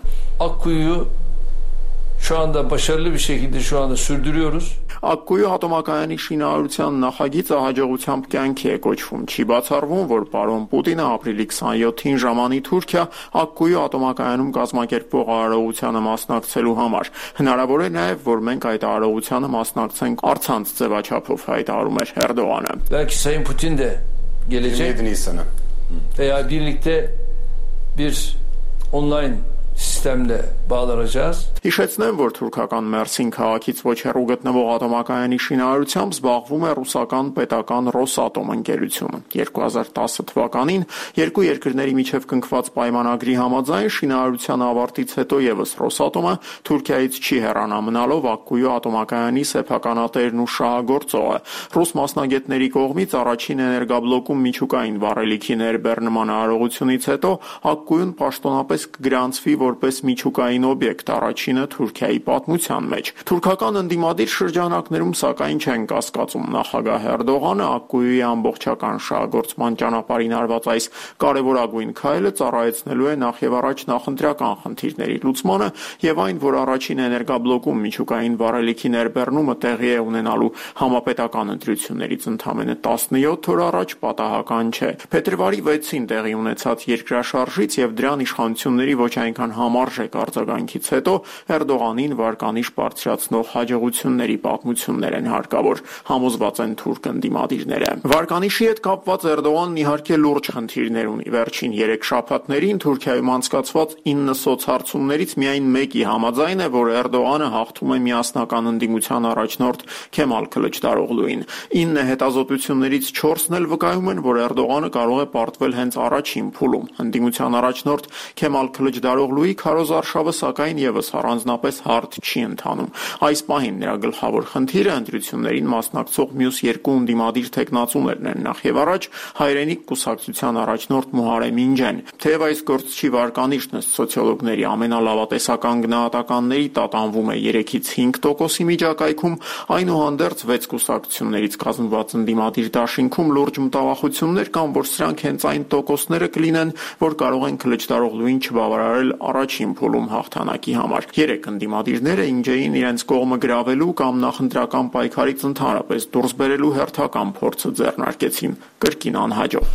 Akkuyu şu anda başarılı bir şekilde şu anda sürdürüyoruz. Ակկույու ատոմակայանի շինարարության նախագիծը հաջողությամբ կյանքի է կոչվում։ Չի բացառվում, որ պարոն Պուտինը ապրիլի քսաներկուին ժամանի Թուրքիա Ակկույու ատոմակայանում կազմակերպվող արարողությանը մասնակցելու համար։ Հնարավոր է նաև, որ մենք այդ արարողությանը մասնակցենք առցանց ձևաչափով, հայտարարում էր Էրդողանը։ Belki Sayın Putin de gelecek veya birlikte bir online sistemle bağlanacağız. Հիշեցնեմ, որ թուրքական Մերսին քաղաքից ոչ հեռու գտնվող ատոմակայանի շինարարությամբ զբաղվում է ռուսական պետական Ռոսատոմ ընկերությունը։ երկու հազար տասը թվականին երկու երկրների միջև կնքված պայմանագրի համաձայն շինարարության ավարտից հետո եւս Ռոսատոմը Թուրքիայից չի հեռանա մնալով Ակկույու ատոմակայանի սեփականատերն ու շահագործողը։ Ռուս մասնագետների կողմից առաջին էներգաբլոկում միջուկային վառելիքի ներբեռնման արարողությունից հետո Ակկույուն պաշտոնապես կգրանցվի որպես միջուկային օբյեկտ, առաջինը Թուրքիայի պատմության մեջ։ Թուրքական ընդդիմադիր շրջանակներում սակայն չեն կասկածում նախագահ Էրդողանը Ակկույի ամբողջական շահագործման ճանապարհին արված այս կարևորագույն քայլը ծառայեցնելու է նախ եւ առաջ նախընտրական խնդիրների լուծմանը եւ այն, որ առաջին էներգաբլոկում միջուկային վառելիքի ներբեռնումը տեղի է ունենալու համապետական ընտրություններից ընդամենը տասնյոթ օր առաջ պատահական չէ։ Փետրվարի վեցին տեղի ունեցած երկրաշարժից եւ դրան իշխանությունների ոչ այնքան համարժեք արձագանքից հետո Էրդողանին վարկանիշ բարձրացնող հաջողությունների պատմություններ են հարկավոր, համոզված են թուրք ընդդիմադիրները։ Վարկանիշի հետ կապված Էրդողանն իհարկե լուրջ խնդիրներ ունի։ Վերջին երեք շաբաթներին Թուրքիայում անցկացված ինը սոցհարցումներից միայն մեկի համաձայն է, որ Էրդողանը հաղթում է միասնական ընդդիմության առաջնորդ Քեմալ Քլիչդարօղլուին։ ինը հետազոտություններից չորսն էլ վկայում են, որ Էրդողանը կարող է պարտվել հենց առաջին փուլում։ Ընդդիմության առաջնորդ Քեմալ Քլիչդարօղլուի քարոզարշավը սակայն եւս առանձնապես հարթ չի ընթանում։ Այս պահին նրա գլխավոր խնդիրը ընտրություններին մասնակցող մյուս երկու ընդդիմադիր տեխնացուներն են, նախ եւ առաջ հայրենիք կուսակցության առաջնորդ Մուհարեմ Ինջեն։ Թեև այս գործչի վարկանիշն ըստ սոցիոլոգների ամենալավատեսական գնահատականների տատանվում է երեքից հինգ տոկոսի միջակայքում, այնուհանդերձ վեց կուսակցություններից կազմված ընդդիմադիր դաշինքում լուրջ մտավախություններ կան, որ սրանք հենց այն տոկոսները կլինեն, որ կարող են Քլիչդարօղլուին չբավարարել առաջին փուլում հաղթանակի համար։ Երեք ընդդիմադիրները Ինջեին իրենց կողմը գրավելու կամ նախընտրական պայքարից ընդհանրապես դուրս բերելու հերթական փորձը ձեռնարկեցին, կրկին անհաջող։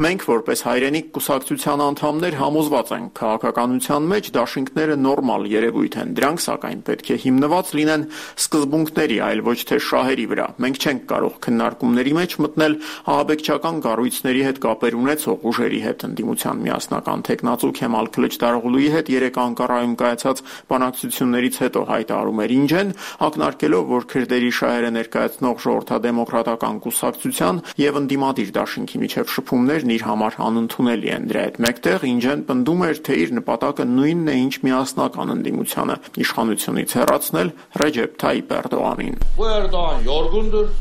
Մենք որպես հայրենիք կուսակցության անդամներ համոզված ենք, քաղաքականության մեջ դաշինքները նորմալ երևույթ են, դրանք սակայն պետք է հիմնված լինեն սկզբունքների, այլ ոչ թե շահերի վրա։ Մենք չենք կարող քննարկումների մեջ մտնել ահաբեկչական կառույցների հետ կապեր ունեցող ուժերի հետ։ Ընդդիմության միասնական տեխնացու Քեմալ Քլիչդարօղլուի հետ երեք Անկարայում կայացած բանակցություններից հետո հայտարարում էր Ինջեն, ակնարկելով, որ քրդերի շահերը ներկայացնող ժողովրդադեմոկրատական կուսակցության եւ ընդդիմադիր դաշինքի միջև շփումներն իր համար անընդունելի են։ Դրա հետ մեկտեղ Ինջեն պնդում էր, թե իր նպատակը նույնն է, ինչ միասնական ընդդիմությանը՝ իշխանությունից հեռացնել Ռեջեփ Թայիփ Էրդողանին։ Էրդողան յորգունդր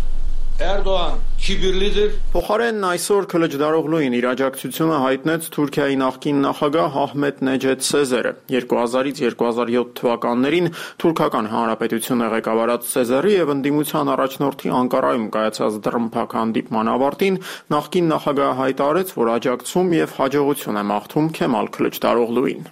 Էրդողան քիբիրլիդր։ Փոխարենն այսօր Քլիչդարօղլուին իր աջակցությունը հայտնեց Թուրքիայի նախկին նախագահ Ահմեդ Նեջեդ Սեզերը։ երկու հազարից երկու հազար յոթ թվականներին Թուրքական Հանրապետությունը ղեկավարած Սեզերի եւ ընդդիմության առաջնորդի Անկարայում կայացած դռնփակ հանդիպման ավարտին նախկին նախագահը հայտարարեց, որ աջակցում եւ հաջողություն է մաղթում Քեմալ Քլիչդարօղլուին։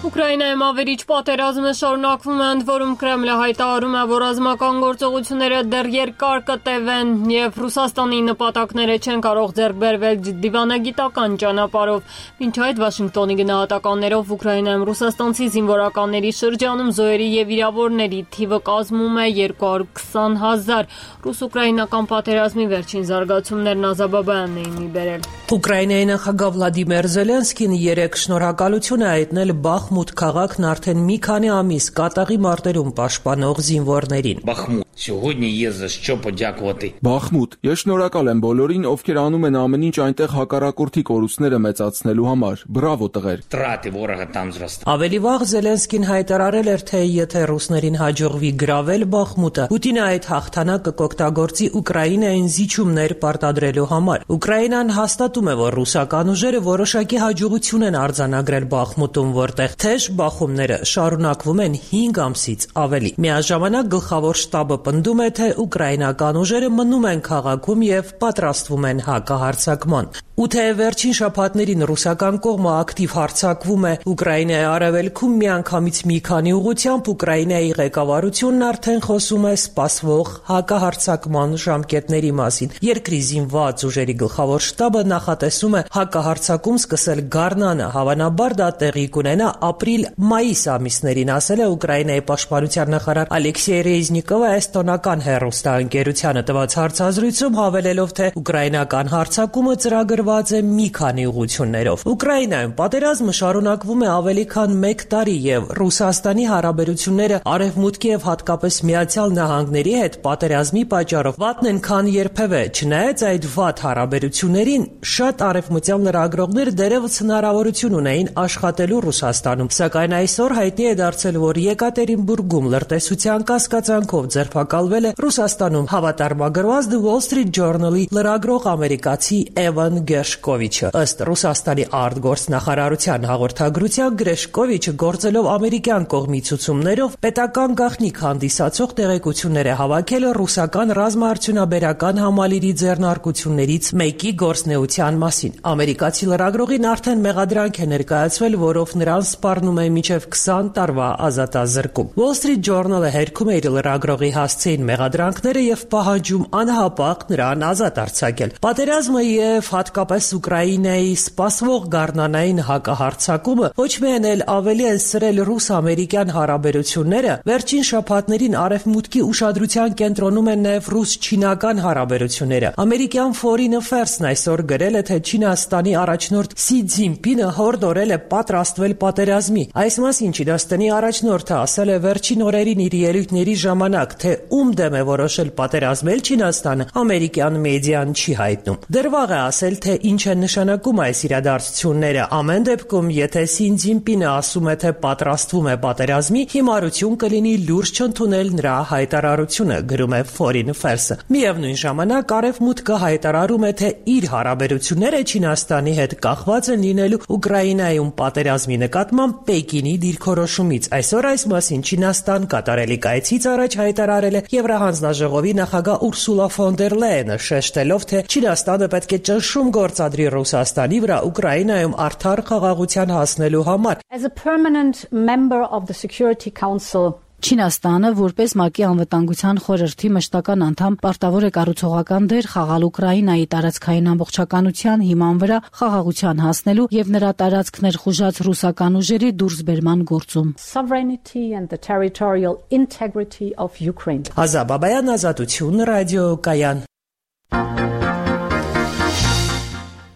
Ուկրաինայում ավերիչ պատերազմը շարունակվում է, ընդ որում Կրեմլը հայտարարում է, որ ռազմական գործողությունները դեռ երկար կտևեն եւ Ռուսաստանի նպատակները չեն կարող ձեռք բերվել դիվանագիտական ճանապարհով։ Մինչ այդ Վաշինգտոնի գնահատականներով Ուկրաինայում ռուսաստանցի զինվորականների շրջանում զոհերի եւ վիրավորների թիվը կազմում է երկու հարյուր քսան հազար։ Ռուս-ուկրաինական պատերազմի վերջին զարգացումներն Ազաբաբյանն էին մի բերել։ Ուկրաինայի նախագահ Վլադիմիր Զելենսկին երեք շնորհակալություն է հայտնել Բախմուտ քաղաքն արդեն մի քանի ամիս կատաղի մարտերում պաշտպանող զինվորներին։ Բախմուտ, сегодня есть за что подякувати։ Բախմուտ, ես շնորհակալ եմ բոլորին, ովքեր անում են ամեն ինչ այնտեղ հակառակորդի կորուստները մեծացնելու համար։ Բրավո տղեր։ Траты ворога там зростают։ Ավելի վաղ Զելենսկին հայտարարել էր, թե եթե ռուսներին հաջողվի գրավել Բախմուտը, Պուտինը այդ հաղթանակը կօգտագործի Ուկրաինային զիջումներ պարտադրելու համար։ Ուկրաինան հաստատում է, որ ռուսական ուժերը որոշակի հաջողություն են արձանագրել Բախմուտում, որտեղ թեժ բախումները շարունակվում են հինգ ամսից ավելի։ Միաժամանակ գլխավոր շտաբը պնդում է, թե ուկրաինական ուժերը մնում են քաղաքում եւ պատրաստվում են հակահարձակման։ Ու թե վերջին շաբաթներին ռուսական կողմը ակտիվ հարձակվում է Ուկրաինայի արևելքում, միանգամից մի քանի ուղղությամբ Ուկրաինայի ղեկավարությունն արդեն խոսում է սպասվող հակահարձակման ժամկետների մասին։ Երկրի զինված ուժերի գլխավոր շտաբը նախատեսում է հակահարձակում սկսել գարնանը, հավանաբար դա տեղի կունենա ապրիլ-մայիս ամիսներին, ասել է Ուկրաինայի պաշտպանության նախարար Ալեքսեյ Ռեզնիկովը էստոնական հեռուստաընկերությանը տված հարցազրույցում, հավելելով, թե ուկրաինական հարձակումը ծրագրված է մի քանի ուղղություններով։ Ուկրաինայում պատերազմը շարունակվում է ավելի քան մեկ տարի եւ Ռուսաստանի հարաբերությունները Արևմուտքի եւ հատկապես Միացյալ Նահանգների հետ պատերազմի պատճառով վատն են քան երբևէ։ Չնայած այդ վատ հարաբերություններին, շատ արևմտյան լրագրողներ դերևս հնարավորություն ունեին աշխատելու Ռուսաստանում, սակայն այսօր հայտնի է դարձել, որ Եկատերինբուրգում լրտեսության կասկածանքով ձերբակալվել է Ռուսաստանում հավատարմագրված The Wall Street Journal-ի լրագրող ամերիկացի Էվան Գրեշկովիչը։ Ըստ Ռուսաստանի արտգործնախարարության հաղորդագրության Գրեշկովիչը գործելով ամերիկյան կողմի ցուցումներով պետական գաղտնիք հանդիսացող տեղեկություններ է հավաքել ռուսական ռազմաարդյունաբերական համալիրի ձեռնարկություններից մեկի գործնեության մասին։ Ամերիկացի լրագրողին արդեն մեղադրանք է ներկայացվել, որով նրան սպառնում է մինչև քսան տարվա ազատազրկում։ Wall Street Journal-ը հերքում է իր լրագրողի հասցեին մեղադրանքները եւ պահանջում անհապաղ նրան ազատ արձակել։ Պատերազմը եւ հատկապես Ուկրաինայի սպասվող գառնանային հակահարձակումը ոչ միայն էլ ավելի են սրել ռուս-ամերիկյան հարաբերությունները, վերջին շաբաթներին արևմուտքի ուշադրության կենտրոնում են նաեւ ռուս-չինական հարաբերությունները։ Ամերիկյան Foreign Affairs-ն այսօր գրել է, թե Չինաստանի առաջնորդ Սի Ցզինպինը հորդորել է պատրաստվել պատերազմի։ Այս մասին Չինաստանի առաջնորդը ասել է վերջին օրերին իր ելույթների ժամանակ, թե ում դեմ է որոշել պատերազմել Չինաստանը, ամերիկյան մեդիան չի հայտնում։ Դեռ վաղ է ասել, թե ինչ են նշանակում այս իրադարձությունները։ Ամեն դեպքում, եթե Սի Ցզինպինը ասում է, թե պատրաստվում է պատերազմի, հիմարություն կլինի լուրջ չընդունել նրա հայտարարությունը, գրում է Foreign Affairs-ը։ Միևնույն ժամանակ արևմուտքը հայտարարում է, թե իր հարաբերությունները Չինաստանի հետ կախված են լինելու Ուկրաինայում պատերազմի նկատմամբ Պեկինի դիրքորոշումից։ Այսօր այս մասին Չինաստան կատարելի կայցից առաջ հայտարարել է Եվրահանձնաժողովի նախագահ Ուրսուլա ֆոն դեր Լայենը, շեշտելով, թե Չինաստանը պետք է ճնշում գործադրի Ռուսաստանի վրա Ուկրաինայում արդար խաղաղության հասնելու համար։ As a permanent member of the Security Council, Չինաստանը, որպես ՄԱԿ-ի անվտանգության խորհրդի մշտական անդամ, պարտավոր է կառուցողական դեր խաղալ Ուկրաինայի տարածքային ամբողջականության հիման վրա խաղաղության հասնելու եւ նրա տարածքներ խուժած ռուսական ուժերի դուրսբերման գործում։ Sovereignty and the territorial integrity of Ukraine. Ազաբաբայան ազատություն ռադիոկայան։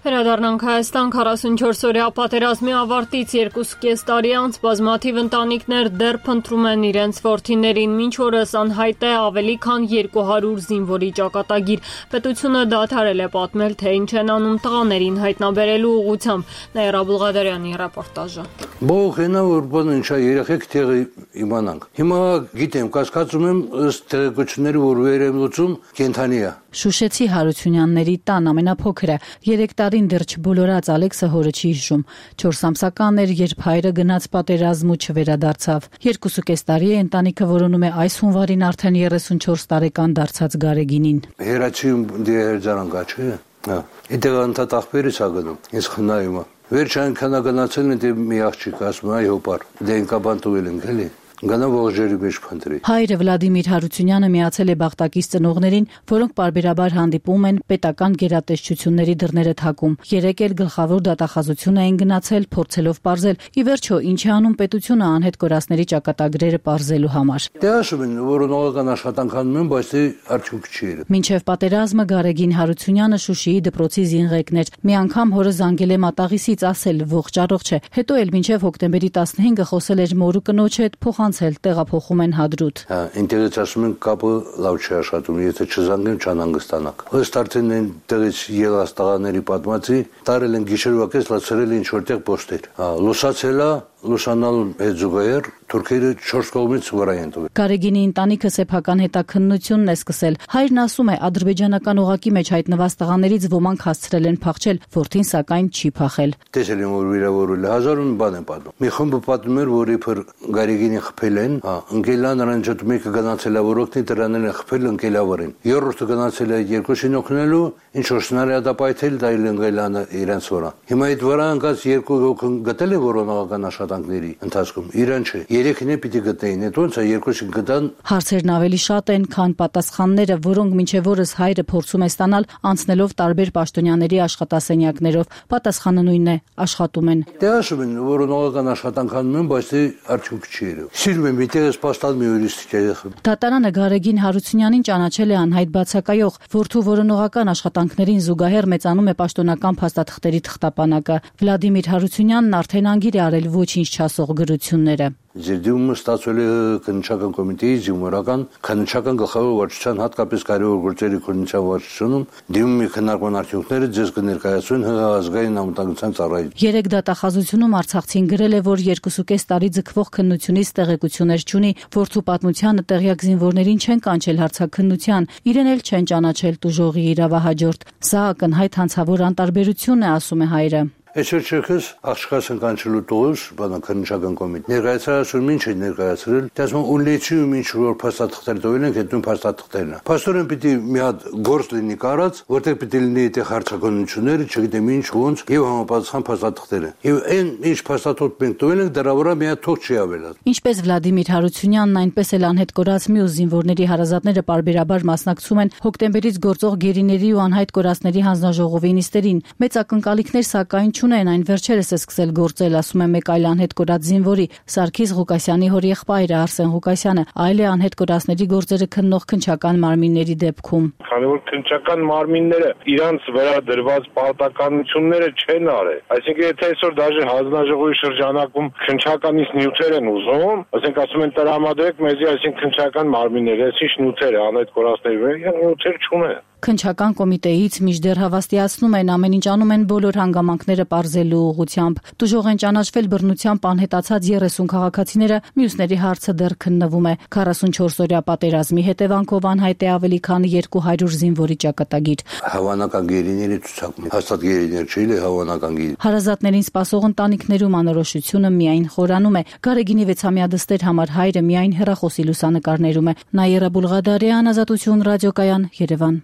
Վերադառնանք Հայաստան քառասունչորս օրյա պատերազմի ավարտից երկուսուկես տարի անց բազմաթիվ ընտանիքներ դեռ փնտրում են իրենց որդիներին, մինչ օրս անհայտ է ավելի քան երկու հարյուր զինվորի ճակատագիր։ Պետությունը դադարել է պատմել, թե ինչ են անում տղաներին հայտնաբերելու ուղղությամբ։ Նաիրա Բուլղադարյանի ռեպորտաժը։ Բողենա որ բան ինչա երեխեք տեղի իմանանք։ Հիմա գիտեմ, կասկածում եմ ըստ տեղեկությունների, որ վերեմլուծում կենթանի է։ Շուշեցի Հարությունյանների տան ամենափոքրը երեք տարին դեռ չբոլորած Ալեքսը հորը չի հիշում։ չորս ամսական էր, երբ հայրը գնաց պատերազմ ու չվերադարձավ։ Երկուսուկես տարի է ընտանիքը որոնում է այս հունվարին արդեն երեսունչորս տարեկան դարձած Գարեգինին։ Հերացիում դերձանանք, չէ՞։ Հա։ Իդե անտատ ախպերից ա գնում։ Ես խնայում եմ։ Վերջ այնքան գնացել են դե մի աղջիկ ասում այ հոպար։ Դե ինքաբան տուել են, էլի։ Գնա ողջերի մեջ փնտրի։ Հայրը Վլադիմիր Հարությունյանը միացել է Բաղտակից ծնողներին, որոնք պարբերաբար հանդիպում են պետական գերատեսչությունների դռները թակում։ Երեք էլ գլխավոր դատախազություն էին գնացել, փորձելով պարզել, ի վերջո ինչ է անում պետությունը անհետ կորածների ճակատագրերը պարզելու համար։ Դե ասում են, որ նորական աշխատանք անում են, բայց դե արդյունք չի եղել։ Մինչև պատերազմը Գարեգին Հարությունյանը Շուշիի դպրոցի զինղեկն էր։ Մի անգամ հորը զանգել է մատաղիսից, ասել ողջ առողջ է։ Հետո էլ մինչև հոկտեմբերի տասնհինգը խոսել էր մորու կնոջ հետ, փոխանցել, տեղափոխում են Հադրութ։ Հա, ինտերես ասում են կապը լավ չի աշխատում, եթե չզանգեմ չանհանգստանաք։ Ըստ արդեն այն տեղից ելած տղաների պատմածի, տարել են գիշերվա կես լացրել ինչ որտեղ պոստեր։ Հա, լուսացել է լուսանալու հետ զուգահեռ թուրքերը չորս կողմից վրա են տվել։ Գարեգինի ընտանիքը սեփական հետաքննությունն է սկսել։ Հայրն ասում է, ադրբեջանական օղակի մեջ հայտնված տղաներից ոմանք հասցրել են փախչել, որդին սակայն չի փախել։ Տեսել եմ, որ վիրավորել է, հազար ու բան են պատմում։ Մի խումբը պատմում էր, որ իբր Գարեգինին խփել են, հա, ընկելա նրան ջոտ մեկը գնացել է, որ օգնի դրանն են խփել ընկելավարին։ Երրորդը գնացել է երկուսին օգնելու, ինչ որ սնարյադապայթել դա ընկելանը իրենց վրա։ Հիմա այդ վրա ընկած երկու օգն գտել է որոնողական աշխատանքների ընթացքում։ Իրան չէ։ Երեքին է պիտի գտնեին, այդ ոնց է երկուսին գտան։ Հարցերն ավելի շատ են, քան պատասխանները, որոնք մինչև օրս հայրը փորձում է ստանալ անցնելով տարբեր պաշտոնյաների աշխատասենյակներով։ Պատասխանը նույնն է, աշխատում են։ Դե ասում են, որոնողական աշխատանք անում են, բայց դե արդյունք չի եղել։ Սիրում եմ միտեղս պաստալ մի հյուրիստիկ երեխա։ Դատարանը Գարեգին Հարությունյանին ճանաչել է անհայտ բացակայող, որդու որոնողական աշխատանքներին զուգահեռ մեծանում է պաշտոնական փաստաթղթերի թղթապանակը։ Վլադիմիր Հարությունյանն արդեն անգիր է արել ոչինչ ոչինչ չասող գրությունները։ Ձերդիմը ստացվել է քննչական կոմիտեի զինվորական քննչական գլխավոր վարչության հատկապես կարևոր գործերի քննչական վարչությունում դիմումի քննարկման արդյունքները ձեզ կներկայացվեն ՀՀ ազգային անվտանգության ծառայություն։ Երեք դատախազությունում Արցախցին գրել է, որ երկուսուկես տարի ձգվող քննությունից տեղեկություններ չունի, որդու պատմությանը տեղյակ զինվորներին չեն կանչել հարցաքննության, իրեն էլ չեն ճանաչել տուժողի իրավահաջորդ։ Սա ակնհայտ հանցավոր անտարբերություն է, ասում է հայրը։ Այսօր չերքս աղջկասն կանչելու տողս բանականչական կոմիտ ներկայացրել ինչ է ներկայացրել դասում ունեցում ինչ որ փաստաթղթեր տվել են հետո փաստաթղթերն փաստորեն պիտի մի հատ գործ լինի կարած որտեղ պիտի լինի այդ հարցականությունները չգիտեմ ինչ ոնց եւ համապատասխան փաստաթղթերը եւ այն ինչ փաստաթղթ մենք տվել ենք դրա վրա մի հատ թող չի ավելած ինչպես Վլադիմիր Հարությունյանն այնպես էլ անհետ կորած մյուս զինվորների հարազատները պարբերաբար մասնակցում են հոկտեմբերից գործող գերիների ու անհայտ կորածների հանձնաժողովի նիստերին մեծ ակնկալիքներ սակայն չունեն այն վերջերս է սկսել գործել, ասում է մեկ այլ անհետ կորած զինվորի Սարգիս Ղուկասյանի հորեղբայրը Արսեն Ղուկասյանը, այլ է անհետ կորածների գործերը քննող քննչական մարմինների դեպքում։ Քանի որ քննչական մարմինները իրանց վրա դրված պարտականությունները չեն արել, այսինքն եթե այսօր դաժե հանձնաժողովի շրջանակում քննչականից նյութեր են ուզում, ասենք ասում են տրամադրեք մեզի, այսինքն քննչական մարմինները, այսինչ նյութեր է անհետ կորածների, նյութեր չունեն։ Քննչական կոմիտեից մինչդեռ հավաստիացնում են ամեն ինչ անում են բոլոր հանգամանքները պարզելու ուղղությամբ։ Տուժող են ճանաչվել բռնությամբ անհետացած երեսուն քաղաքացիները, մյուսների հարցը դեռ քննվում է։ քառասունչորս օրյա պատերազմի հետևանքով անհայտ է ավելի քան երկու հարյուր զինվորի ճակատագիր։ Հավանական գերիների ցուցակում հաստատ գերիներ չի, հավանական գերի։ Հարազատներին սպասող ընտանիքներում անորոշությունը միայն խորանում է։ Գարեգինի վեցամյա դստեր համար հայրը միայն հեռախոսի լուսանկարներում է։ Նաիրա Բուլղադարյան, Ազատություն ռադիոկայան, Երևան։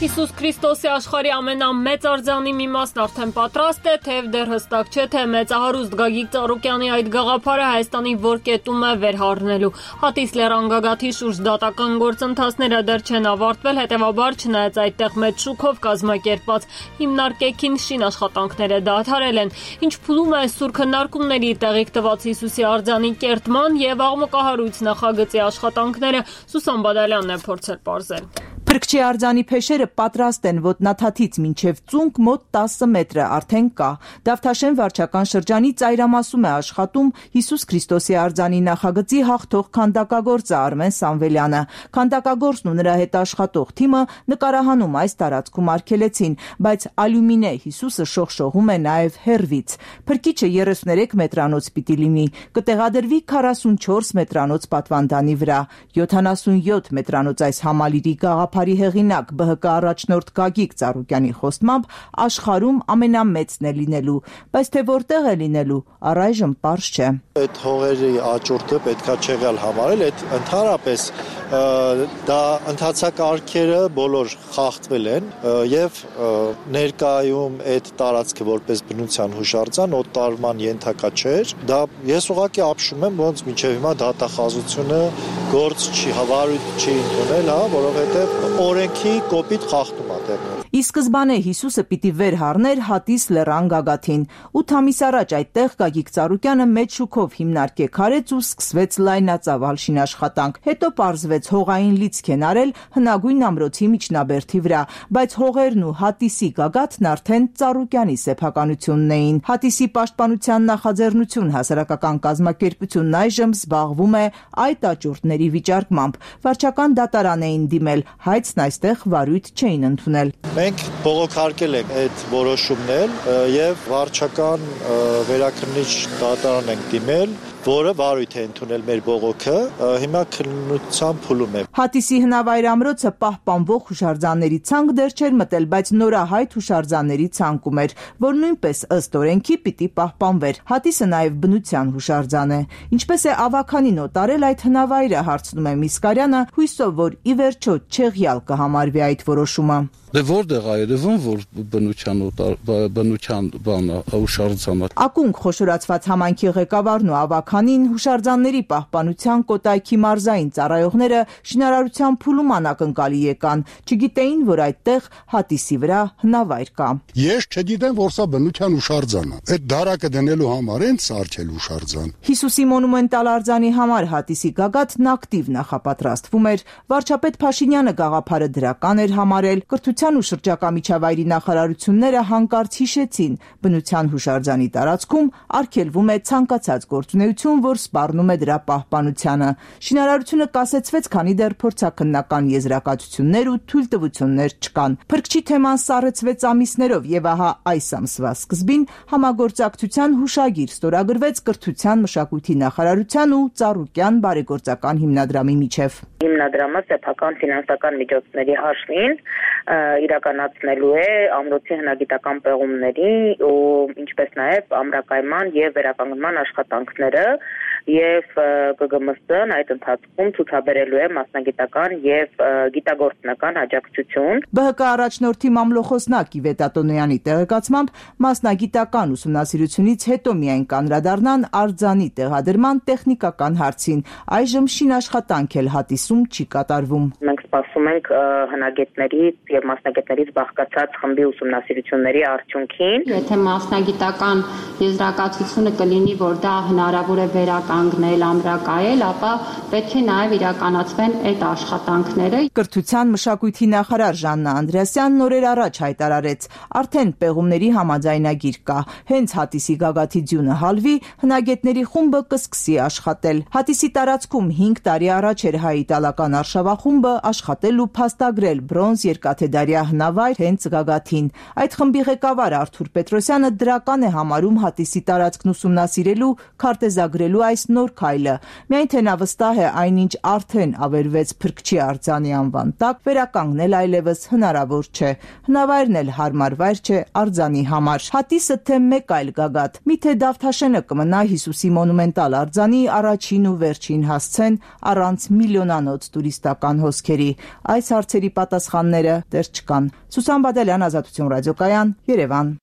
Հիսուս Քրիստոսի աշխարհի ամենամեծ արձանի մի մասն արդեն պատրաստ է, թեև դեռ հստակ չէ, թե մեծահարուստ Գագիկ Ծառուկյանի այդ գաղափարը Հայաստանի որ կետում է վերհառնելու։ Հատիս լեռան գագաթի շուրջ դատական գործընթացները դեռ չեն ավարտվել, հետևաբար չնայած այդտեղ մեծ շուկով կազմակերպված հիմնարկեքին շին աշխատանքները դադարել են, ինչ փուլում է սուր քննարկումների տեղիք տված Հիսուսի արձանի կերտման եւ աղմկահարույց նախագծի աշխատանքները Սուսան Բադալյանն է փորձել պարզել։ Փրկչի արձանի փեշերը պատրաստ են ոտնաթաթից մինչև ծունկ մոտ տասը մետրը արդեն կա։ Դավթաշեն վարչական շրջանի ծայրամասում է աշխատում Հիսուս Քրիստոսի արձանի նախագծի հաղթող քանդակագործը Արմեն Սամվելյանը։ Քանդակագործն ու նրա հետ աշխատող թիմը նկարահանում այս տարածքում արգելեցին, բայց ալյումինե Հիսուսը շողշողում է նաև հեռվից։ Փրկիչը երեսուներեք մետրանոց պիտի լինի, կտեղադրվի քառասունչորս մետրանոց պատվանդանի վրա, յոթանասունյոթ մետրանոց այս համալիրի գաղափարի հեղինակ ԲՀԿ առաջնորդ Գագիկ Ծառուկյանի խոստմամբ աշխարհում ամենամեծն է լինելու, բայց թե որտեղ է լինելու, առայժմ պարզ չէ։ Այդ հողերի աճուրդը պետքա չեղյալ համարել, այդ ընդհանրապես դա ընթացակարգերը բոլոր խախտվել են եւ ներկայում այդ տարածքը որպես բնության հուշարձան օտարման ենթակա չէր։ Դա ես ուղղակի ապշում եմ, ոնց մինչեւ հիմա դատախազությունը գործ չի հավարույթ չի ընդունել, հա, որովհետեւ օրենքի կոպիտ խախտում է տեղի։ Ի սկզբանե Հիսուսը պիտի վերհառներ Հատիս լեռան գագաթին։ ութ ամիս առաջ այդտեղ Գագիկ Ծառուկյանը մեծ շուկով հիմնարկեք արեց ու սկսվեց լայնածավալ շինաշխատանք։ Հետո պարզվեց հողային լիցք են արել հնագույն ամրոցի միջնաբերդի վրա, բայց հողերն ու Հատիսի գագաթն արդեն Ծառուկյանի սեփականությունն էին։ Հատիսի պաշտպանության նախաձեռնություն հասարակական կազմակերպությունն այժմ զբաղվում է այդ աճուրդների վիճարկմամբ։ Վարչական դատարան էին դիմել, հայցն այստեղ վարույթ չէին ընդունել։ Մենք բողոքարկել ենք այդ որոշումներ եւ վարչական վերաքննիչ դատարան ենք դիմել, որը վարույթ է ընդունել մեր բողոքը, հիմա քննության փուլում է։ Հատիսի հնավայր ամրոցը պահպանվող հուշարձանների ցանկ դեռ չէր մտել, բայց նորահայտ հուշարձանների ցանկում էր, որ նույնպես ըստ օրենքի պիտի պահպանվեր։ Հատիսը նաև բնության հուշարձան է։ Ինչպես է ավականին օտարել այդ հնավայրը, հարցնում է Միսկարյանը, հույսով, որ ի վերջո չեղյալ կհամարվի այդ որոշումը։ Դե որտեղ այրևն որ բնության բնության բանը հուշարձանը։ Ակունք խոշորացված համայնքի ղեկավարն ու ավակ քանին հուշարձանների պահպանության Կոտայքի մարզային ծառայողները շինարարության փուլում անակնկալի եկան, չգիտեին, որ այդտեղ հատիսի վրա հնավայր կա։ Ես չգիտեմ, որ սա բնության հուշարձան է։ Այդ դարակը դնելու համար են սարքել հուշարձան։ Հիսուսի մոնումենտալ արձանի համար հատիսի գագաթն ակտիվ նախապատրաստվում էր։ Վարչապետ Փաշինյանը գաղափարը դրական էր համարել։ Կրթության ու շրջակա միջավայրի նախարարությունները հանկարծ հիշեցին, բնության հուշարձանի տարածքում արգելվում է ցանկացած գործունեություն, որ սպառնում է դրա պահպանությանը։ Շինարարությունը կասեցվեց, քանի դեռ փորձաքննական եզրակացություններ ու թույլտվություններ չկան։ Փրկչի թեման սառեցվեց ամիսներով եւ ահա այս ամսվա սկզբին համագործակցության հուշագիր ստորագրվեց Կրթության, մշակույթի նախարարության ու Ծառուկյան բարեգործական հիմնադրամի միջև։ Հիմնադրամը սեփական ֆինանսական միջոցների հաշվին իրականացնելու է ամրոցի հնագիտական պեղումների ու ինչպես նաև ամրակայման եւ վերականգնման աշխատանքները եւ ԿԳՄՍ-ն այդ ընթացքում ցուցաբերելու է մասնագիտական եւ գիտագործնական աջակցություն։ ԲՀԿ առաջնորդի մամլոխոսնակ Իվետ Ատոնոյանի տեղեկացմամբ մասնագիտական ուսումնասիրությունից հետո միայն կանրադառնան արձանի տեղադրման տեխնիկական հարցին։ Այժմ շինաշխատանք էլ հատիսում չի կատարվում։ Մենք սպասում ենք հնագետներից եւ մասնագետներից բաղկացած խմբի ուսումնասիրությունների արդյունքին։ Եթե մասնագիտական եզրակացությունը կլինի, որ դա հնարավոր է վերականգնել, ամրակայել, ապա պետք է նաեւ իրականացվեն այդ աշխատանքները։ Կրթության, մշակույթի նախարար Ժաննա Անդրեասյանն օրեր առաջ հայտարարեց, արդեն պեղումների համաձայնագիր կա։ Հենց հատիսի գագաթի ձյունը հալվի, հնագետների խումբը կսկսի աշխատել։ Հատիսի տարածքում հինգ տարի առաջ էր հայ իտալական արշավախումբը աշխատել ու փաստագրել բրոնզ երկաթեդարյա հնավայր հենց գագաթին։ Այդ խմբի ղեկավար Արթուր Պետրոսյանը դրական է համարում հատիսի տարածքն ուսումնասիրելու, քարտեզագրելու այս նոր քայլը։ Միայն թե նա վստահ է այնինչ արդեն ավերվեց Փրկչի արձանի անվան տակ, վերականգնել այլևս հնարավոր չէ։ Հնավայրն էլ հարմար վայր չէ արձանի համար։ Հատիսը թե մեկ այլ գագաթ, միթե Դավթաշենը կմնա Հիսուսի մոնումենտալ արձանի առաջին ու վերջին հասցեն առանց միլիոնանոց տուրիստական հոսքերի։ Այս հարցերի պատասխանները դեռ չկան։ Սուսան Բադալյան, Ազատություն ռադիոկայան, Երևան։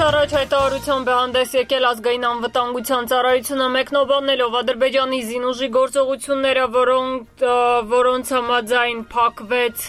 Առաջ հայտարարությամբ է հանդես եկել ազգային անվտանգության ծառայությունը մեկնաբանելով Ադրբեջանի զինուժի գործողությունները, որոնք որոնց համաձայն փակվեց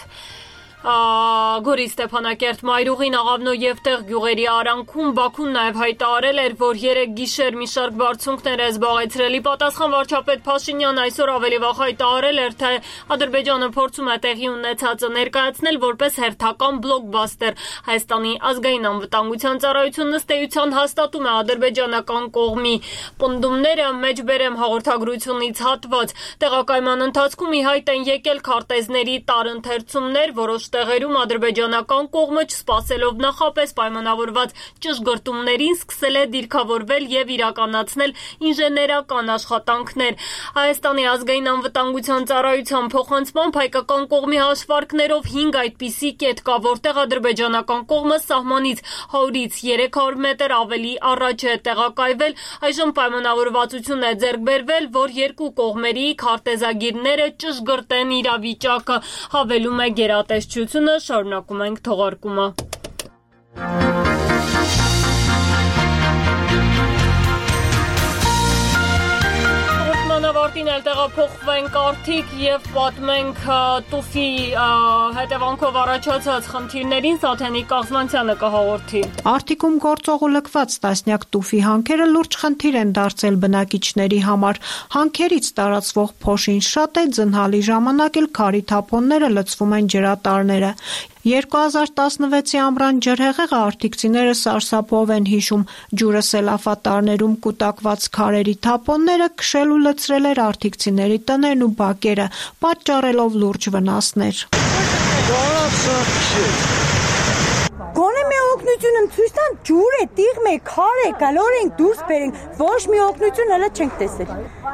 Գորի Ստեփանակերտ Մայրուղին, Աղավնո եւ Տեղ գյուղերի արանքում Բաքուն նաեւ հայտարարել էր, որ երեք գիշեր մի շարք բարձունքներ է զբաղեցրել։ Ի պատասխան վարչապետ Փաշինյանը այսօր ավելի վաղ հայտարարել էր, թե Ադրբեջանը փորձում է տեղի ունեցածը ներկայացնել որպես հերթական բլոկբաստեր։ Հայաստանի ազգային անվտանգության ծառայությունն ըստ էության հաստատում է ադրբեջանական կողմի պնդումները։ Մեջբերեմ հաղորդագրությունից հատված։ Տեղակայման ընթացքում ի հայտ են եկել քարտեզների տարընթերցումներ, որոշ տեղերում ադրբեջանական կողմը չսպասելով նախապես պայմանավորված ճշգրտումներին սկսել է դիրքավորվել եւ իրականացնել ինժեներական աշխատանքներ։ Հայաստանի ազգային անվտանգության ծառայության փոխանցմամբ հայկական կողմի հաշվարկներով հինգ այդպիսի կետ կա, որտեղ ադրբեջանական կողմը սահմանից հարյուրից երեք հարյուր մետր ավելի առաջ է տեղակայվել։ Այժմ պայմանավորվածություն է ձեռք բերվել, որ երկու կողմերի քարտեզագիրները ճշգրտեն իրավիճակը, հավելում է գերատեսչությունը։ Շարունակում ենք թողարկումը։ Ավարտին էլ տեղափոխվենք արդիկ եւ պատմենք տուֆի հետևանքով առաջացած խնդիրներին։ Սաթենիկ Կաղզմանցյանը կհաղորդի։ Արդիկում գործող ու լքված տասնյակ տուֆի հանքերը լուրջ խնդիր են դարձել բնակիչների համար։ Հանքերից տարածվող փոշին շատ է, ձնհալի ժամանակ էլ քարի թափոնները լցվում են ջրատարները։ երկու հազար տասնվեցի ամռան ջրհեղեղը արդիկցիները սարսափով են հիշում։ Ջուրը սելավատարներում կուտակված քարերի թափոնները քշել ու լցրել էր արդիկցիների տներն ու բակերը, պատճառելով լուրջ վնասներ։ Գոնե մի օգնություն եմ ցույց տան, ջուր է, տիղմ է, քար է, գալոր ենք դուրս բերենք, ոչ մի օգնություն հələ չենք տեսել։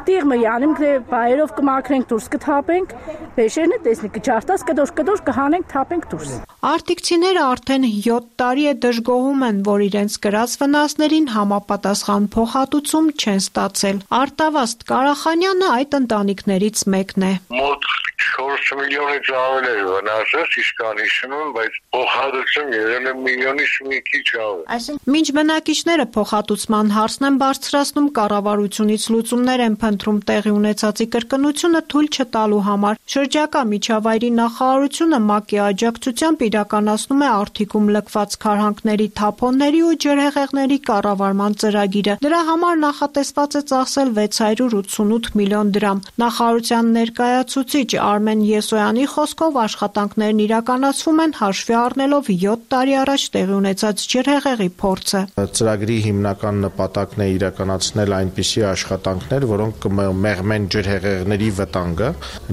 Տիղմը յանում թե բայերով կմաքրենք դուրս կթափենք, բեշերն է տեսնի կջարտած կդոր կդոր կհանենք թափենք դուրս։ Արդիկցիները արդեն յոթ տարի է դժգոհում են, որ իրենց կրած վնասներին համապատասխան փոխհատուցում չեն ստացել։ Արտավազդ Կարախանյանը այդ ընտանիքներից մեկն է։ Մոտ չորս միլիոնից ավել էր վնասը, իսկ անհիշում եմ, բայց փոխհատուցում եղել է միլիոնից մի մի քիչ ավ։ Այսինքն մինչ բնակիչները փոխհատուցման հարցն են բարձրացնում, կառավարությունից լուծումներ են փնտրում տեղի ունեցածի կրկնությունը թույլ չտալու համար։ Շրջակա միջավայրի նախարարությունը ՄԱԿ-ի աջակցությամբ իրականացնում է Արթիկում լքված քարհանքների թափոնների ու ջրհեղեղների կառավարման ծրագիրը։ Դրա համար նախատեսված է ծախսել վեց հարյուր ութսունութ միլիոն դրամ։ Նախարարության ներկայացուցիչ Արմեն Եսոյանի խոսքով աշխատանքներն իրականացվում են հաշվի առնելով յոթ տարի առաջ տեղի ունեցած ջրհեղեղի փորձը։ Ծրագրի հիմնական նպատակն է իրականացնել այնպիսի աշխատանքներ, որոնք կմեղմեն ջրհեղեղների վտանգը։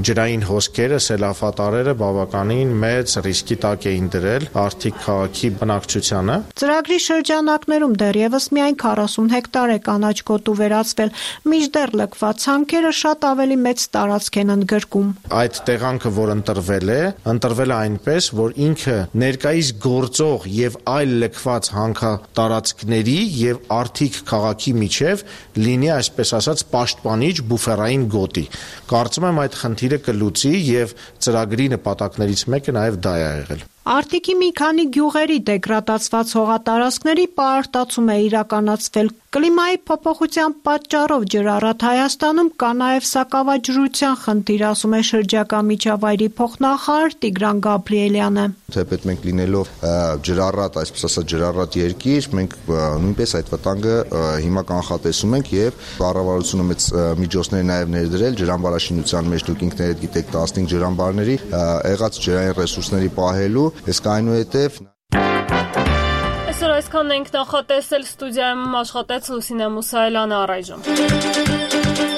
Ջրային հոսքերը, սելավատարերը բավականին մեծ ռիսկի տակ էին դրել Արթիկ քաղաքի բնակչությանը։ Ծրագրի շրջանակներում դեռևս միայն քառասուն հեկտար է կանաչ գոտու վերածվել, մինչդեռ լքված հանքերը շատ ավելի մեծ տարածք են ընդգրկում։ Այդ տեղանքը, որ ընտրվել է, ընտրվել է այնպես, որ ինքը ներկայիս գործող եւ այլ լքված հանքատարածքների եւ Արթիկ քաղաքի միջև լինի, այսպես ասած, պաշտպանիչ բուֆերային գոտի։ Կարծում եմ այդ խնդիրը կլուծի եւ ծրագրի նպատակներից մեկը նաեւ դա է եղել։ Արտիկի մի քանի գյուղերի դեգրադացված հողատարածքների պարարտացում է իրականացվել։ Կլիմայի փոփոխության պատճառով ջրառատ Հայաստանում կա նաև սակավաջրության խնդիր, ասում է շրջակա միջավայրի փոխնախարար Տիգրան Գաբրիելյանը։ Թեպետ մենք լինելով ջրառատ, այսպես ասած ջրառատ երկիր, մենք նույնպես այդ վտանգը հիմա կանխատեսում ենք եւ կառավարությունը մեծ միջոցներ նաև ներդրել ջրամբարաշինության մեջ, դուք ինքներդ գիտեք տասնհինգ ջրամբարների եղած ջրային ռեսուրսների պահելու, իսկ այնուհետև Այսօր այսքանն ենք նախատեսել, ստուդիայում աշխատեց Լուսինե Մուսայելյանը, առայժմ։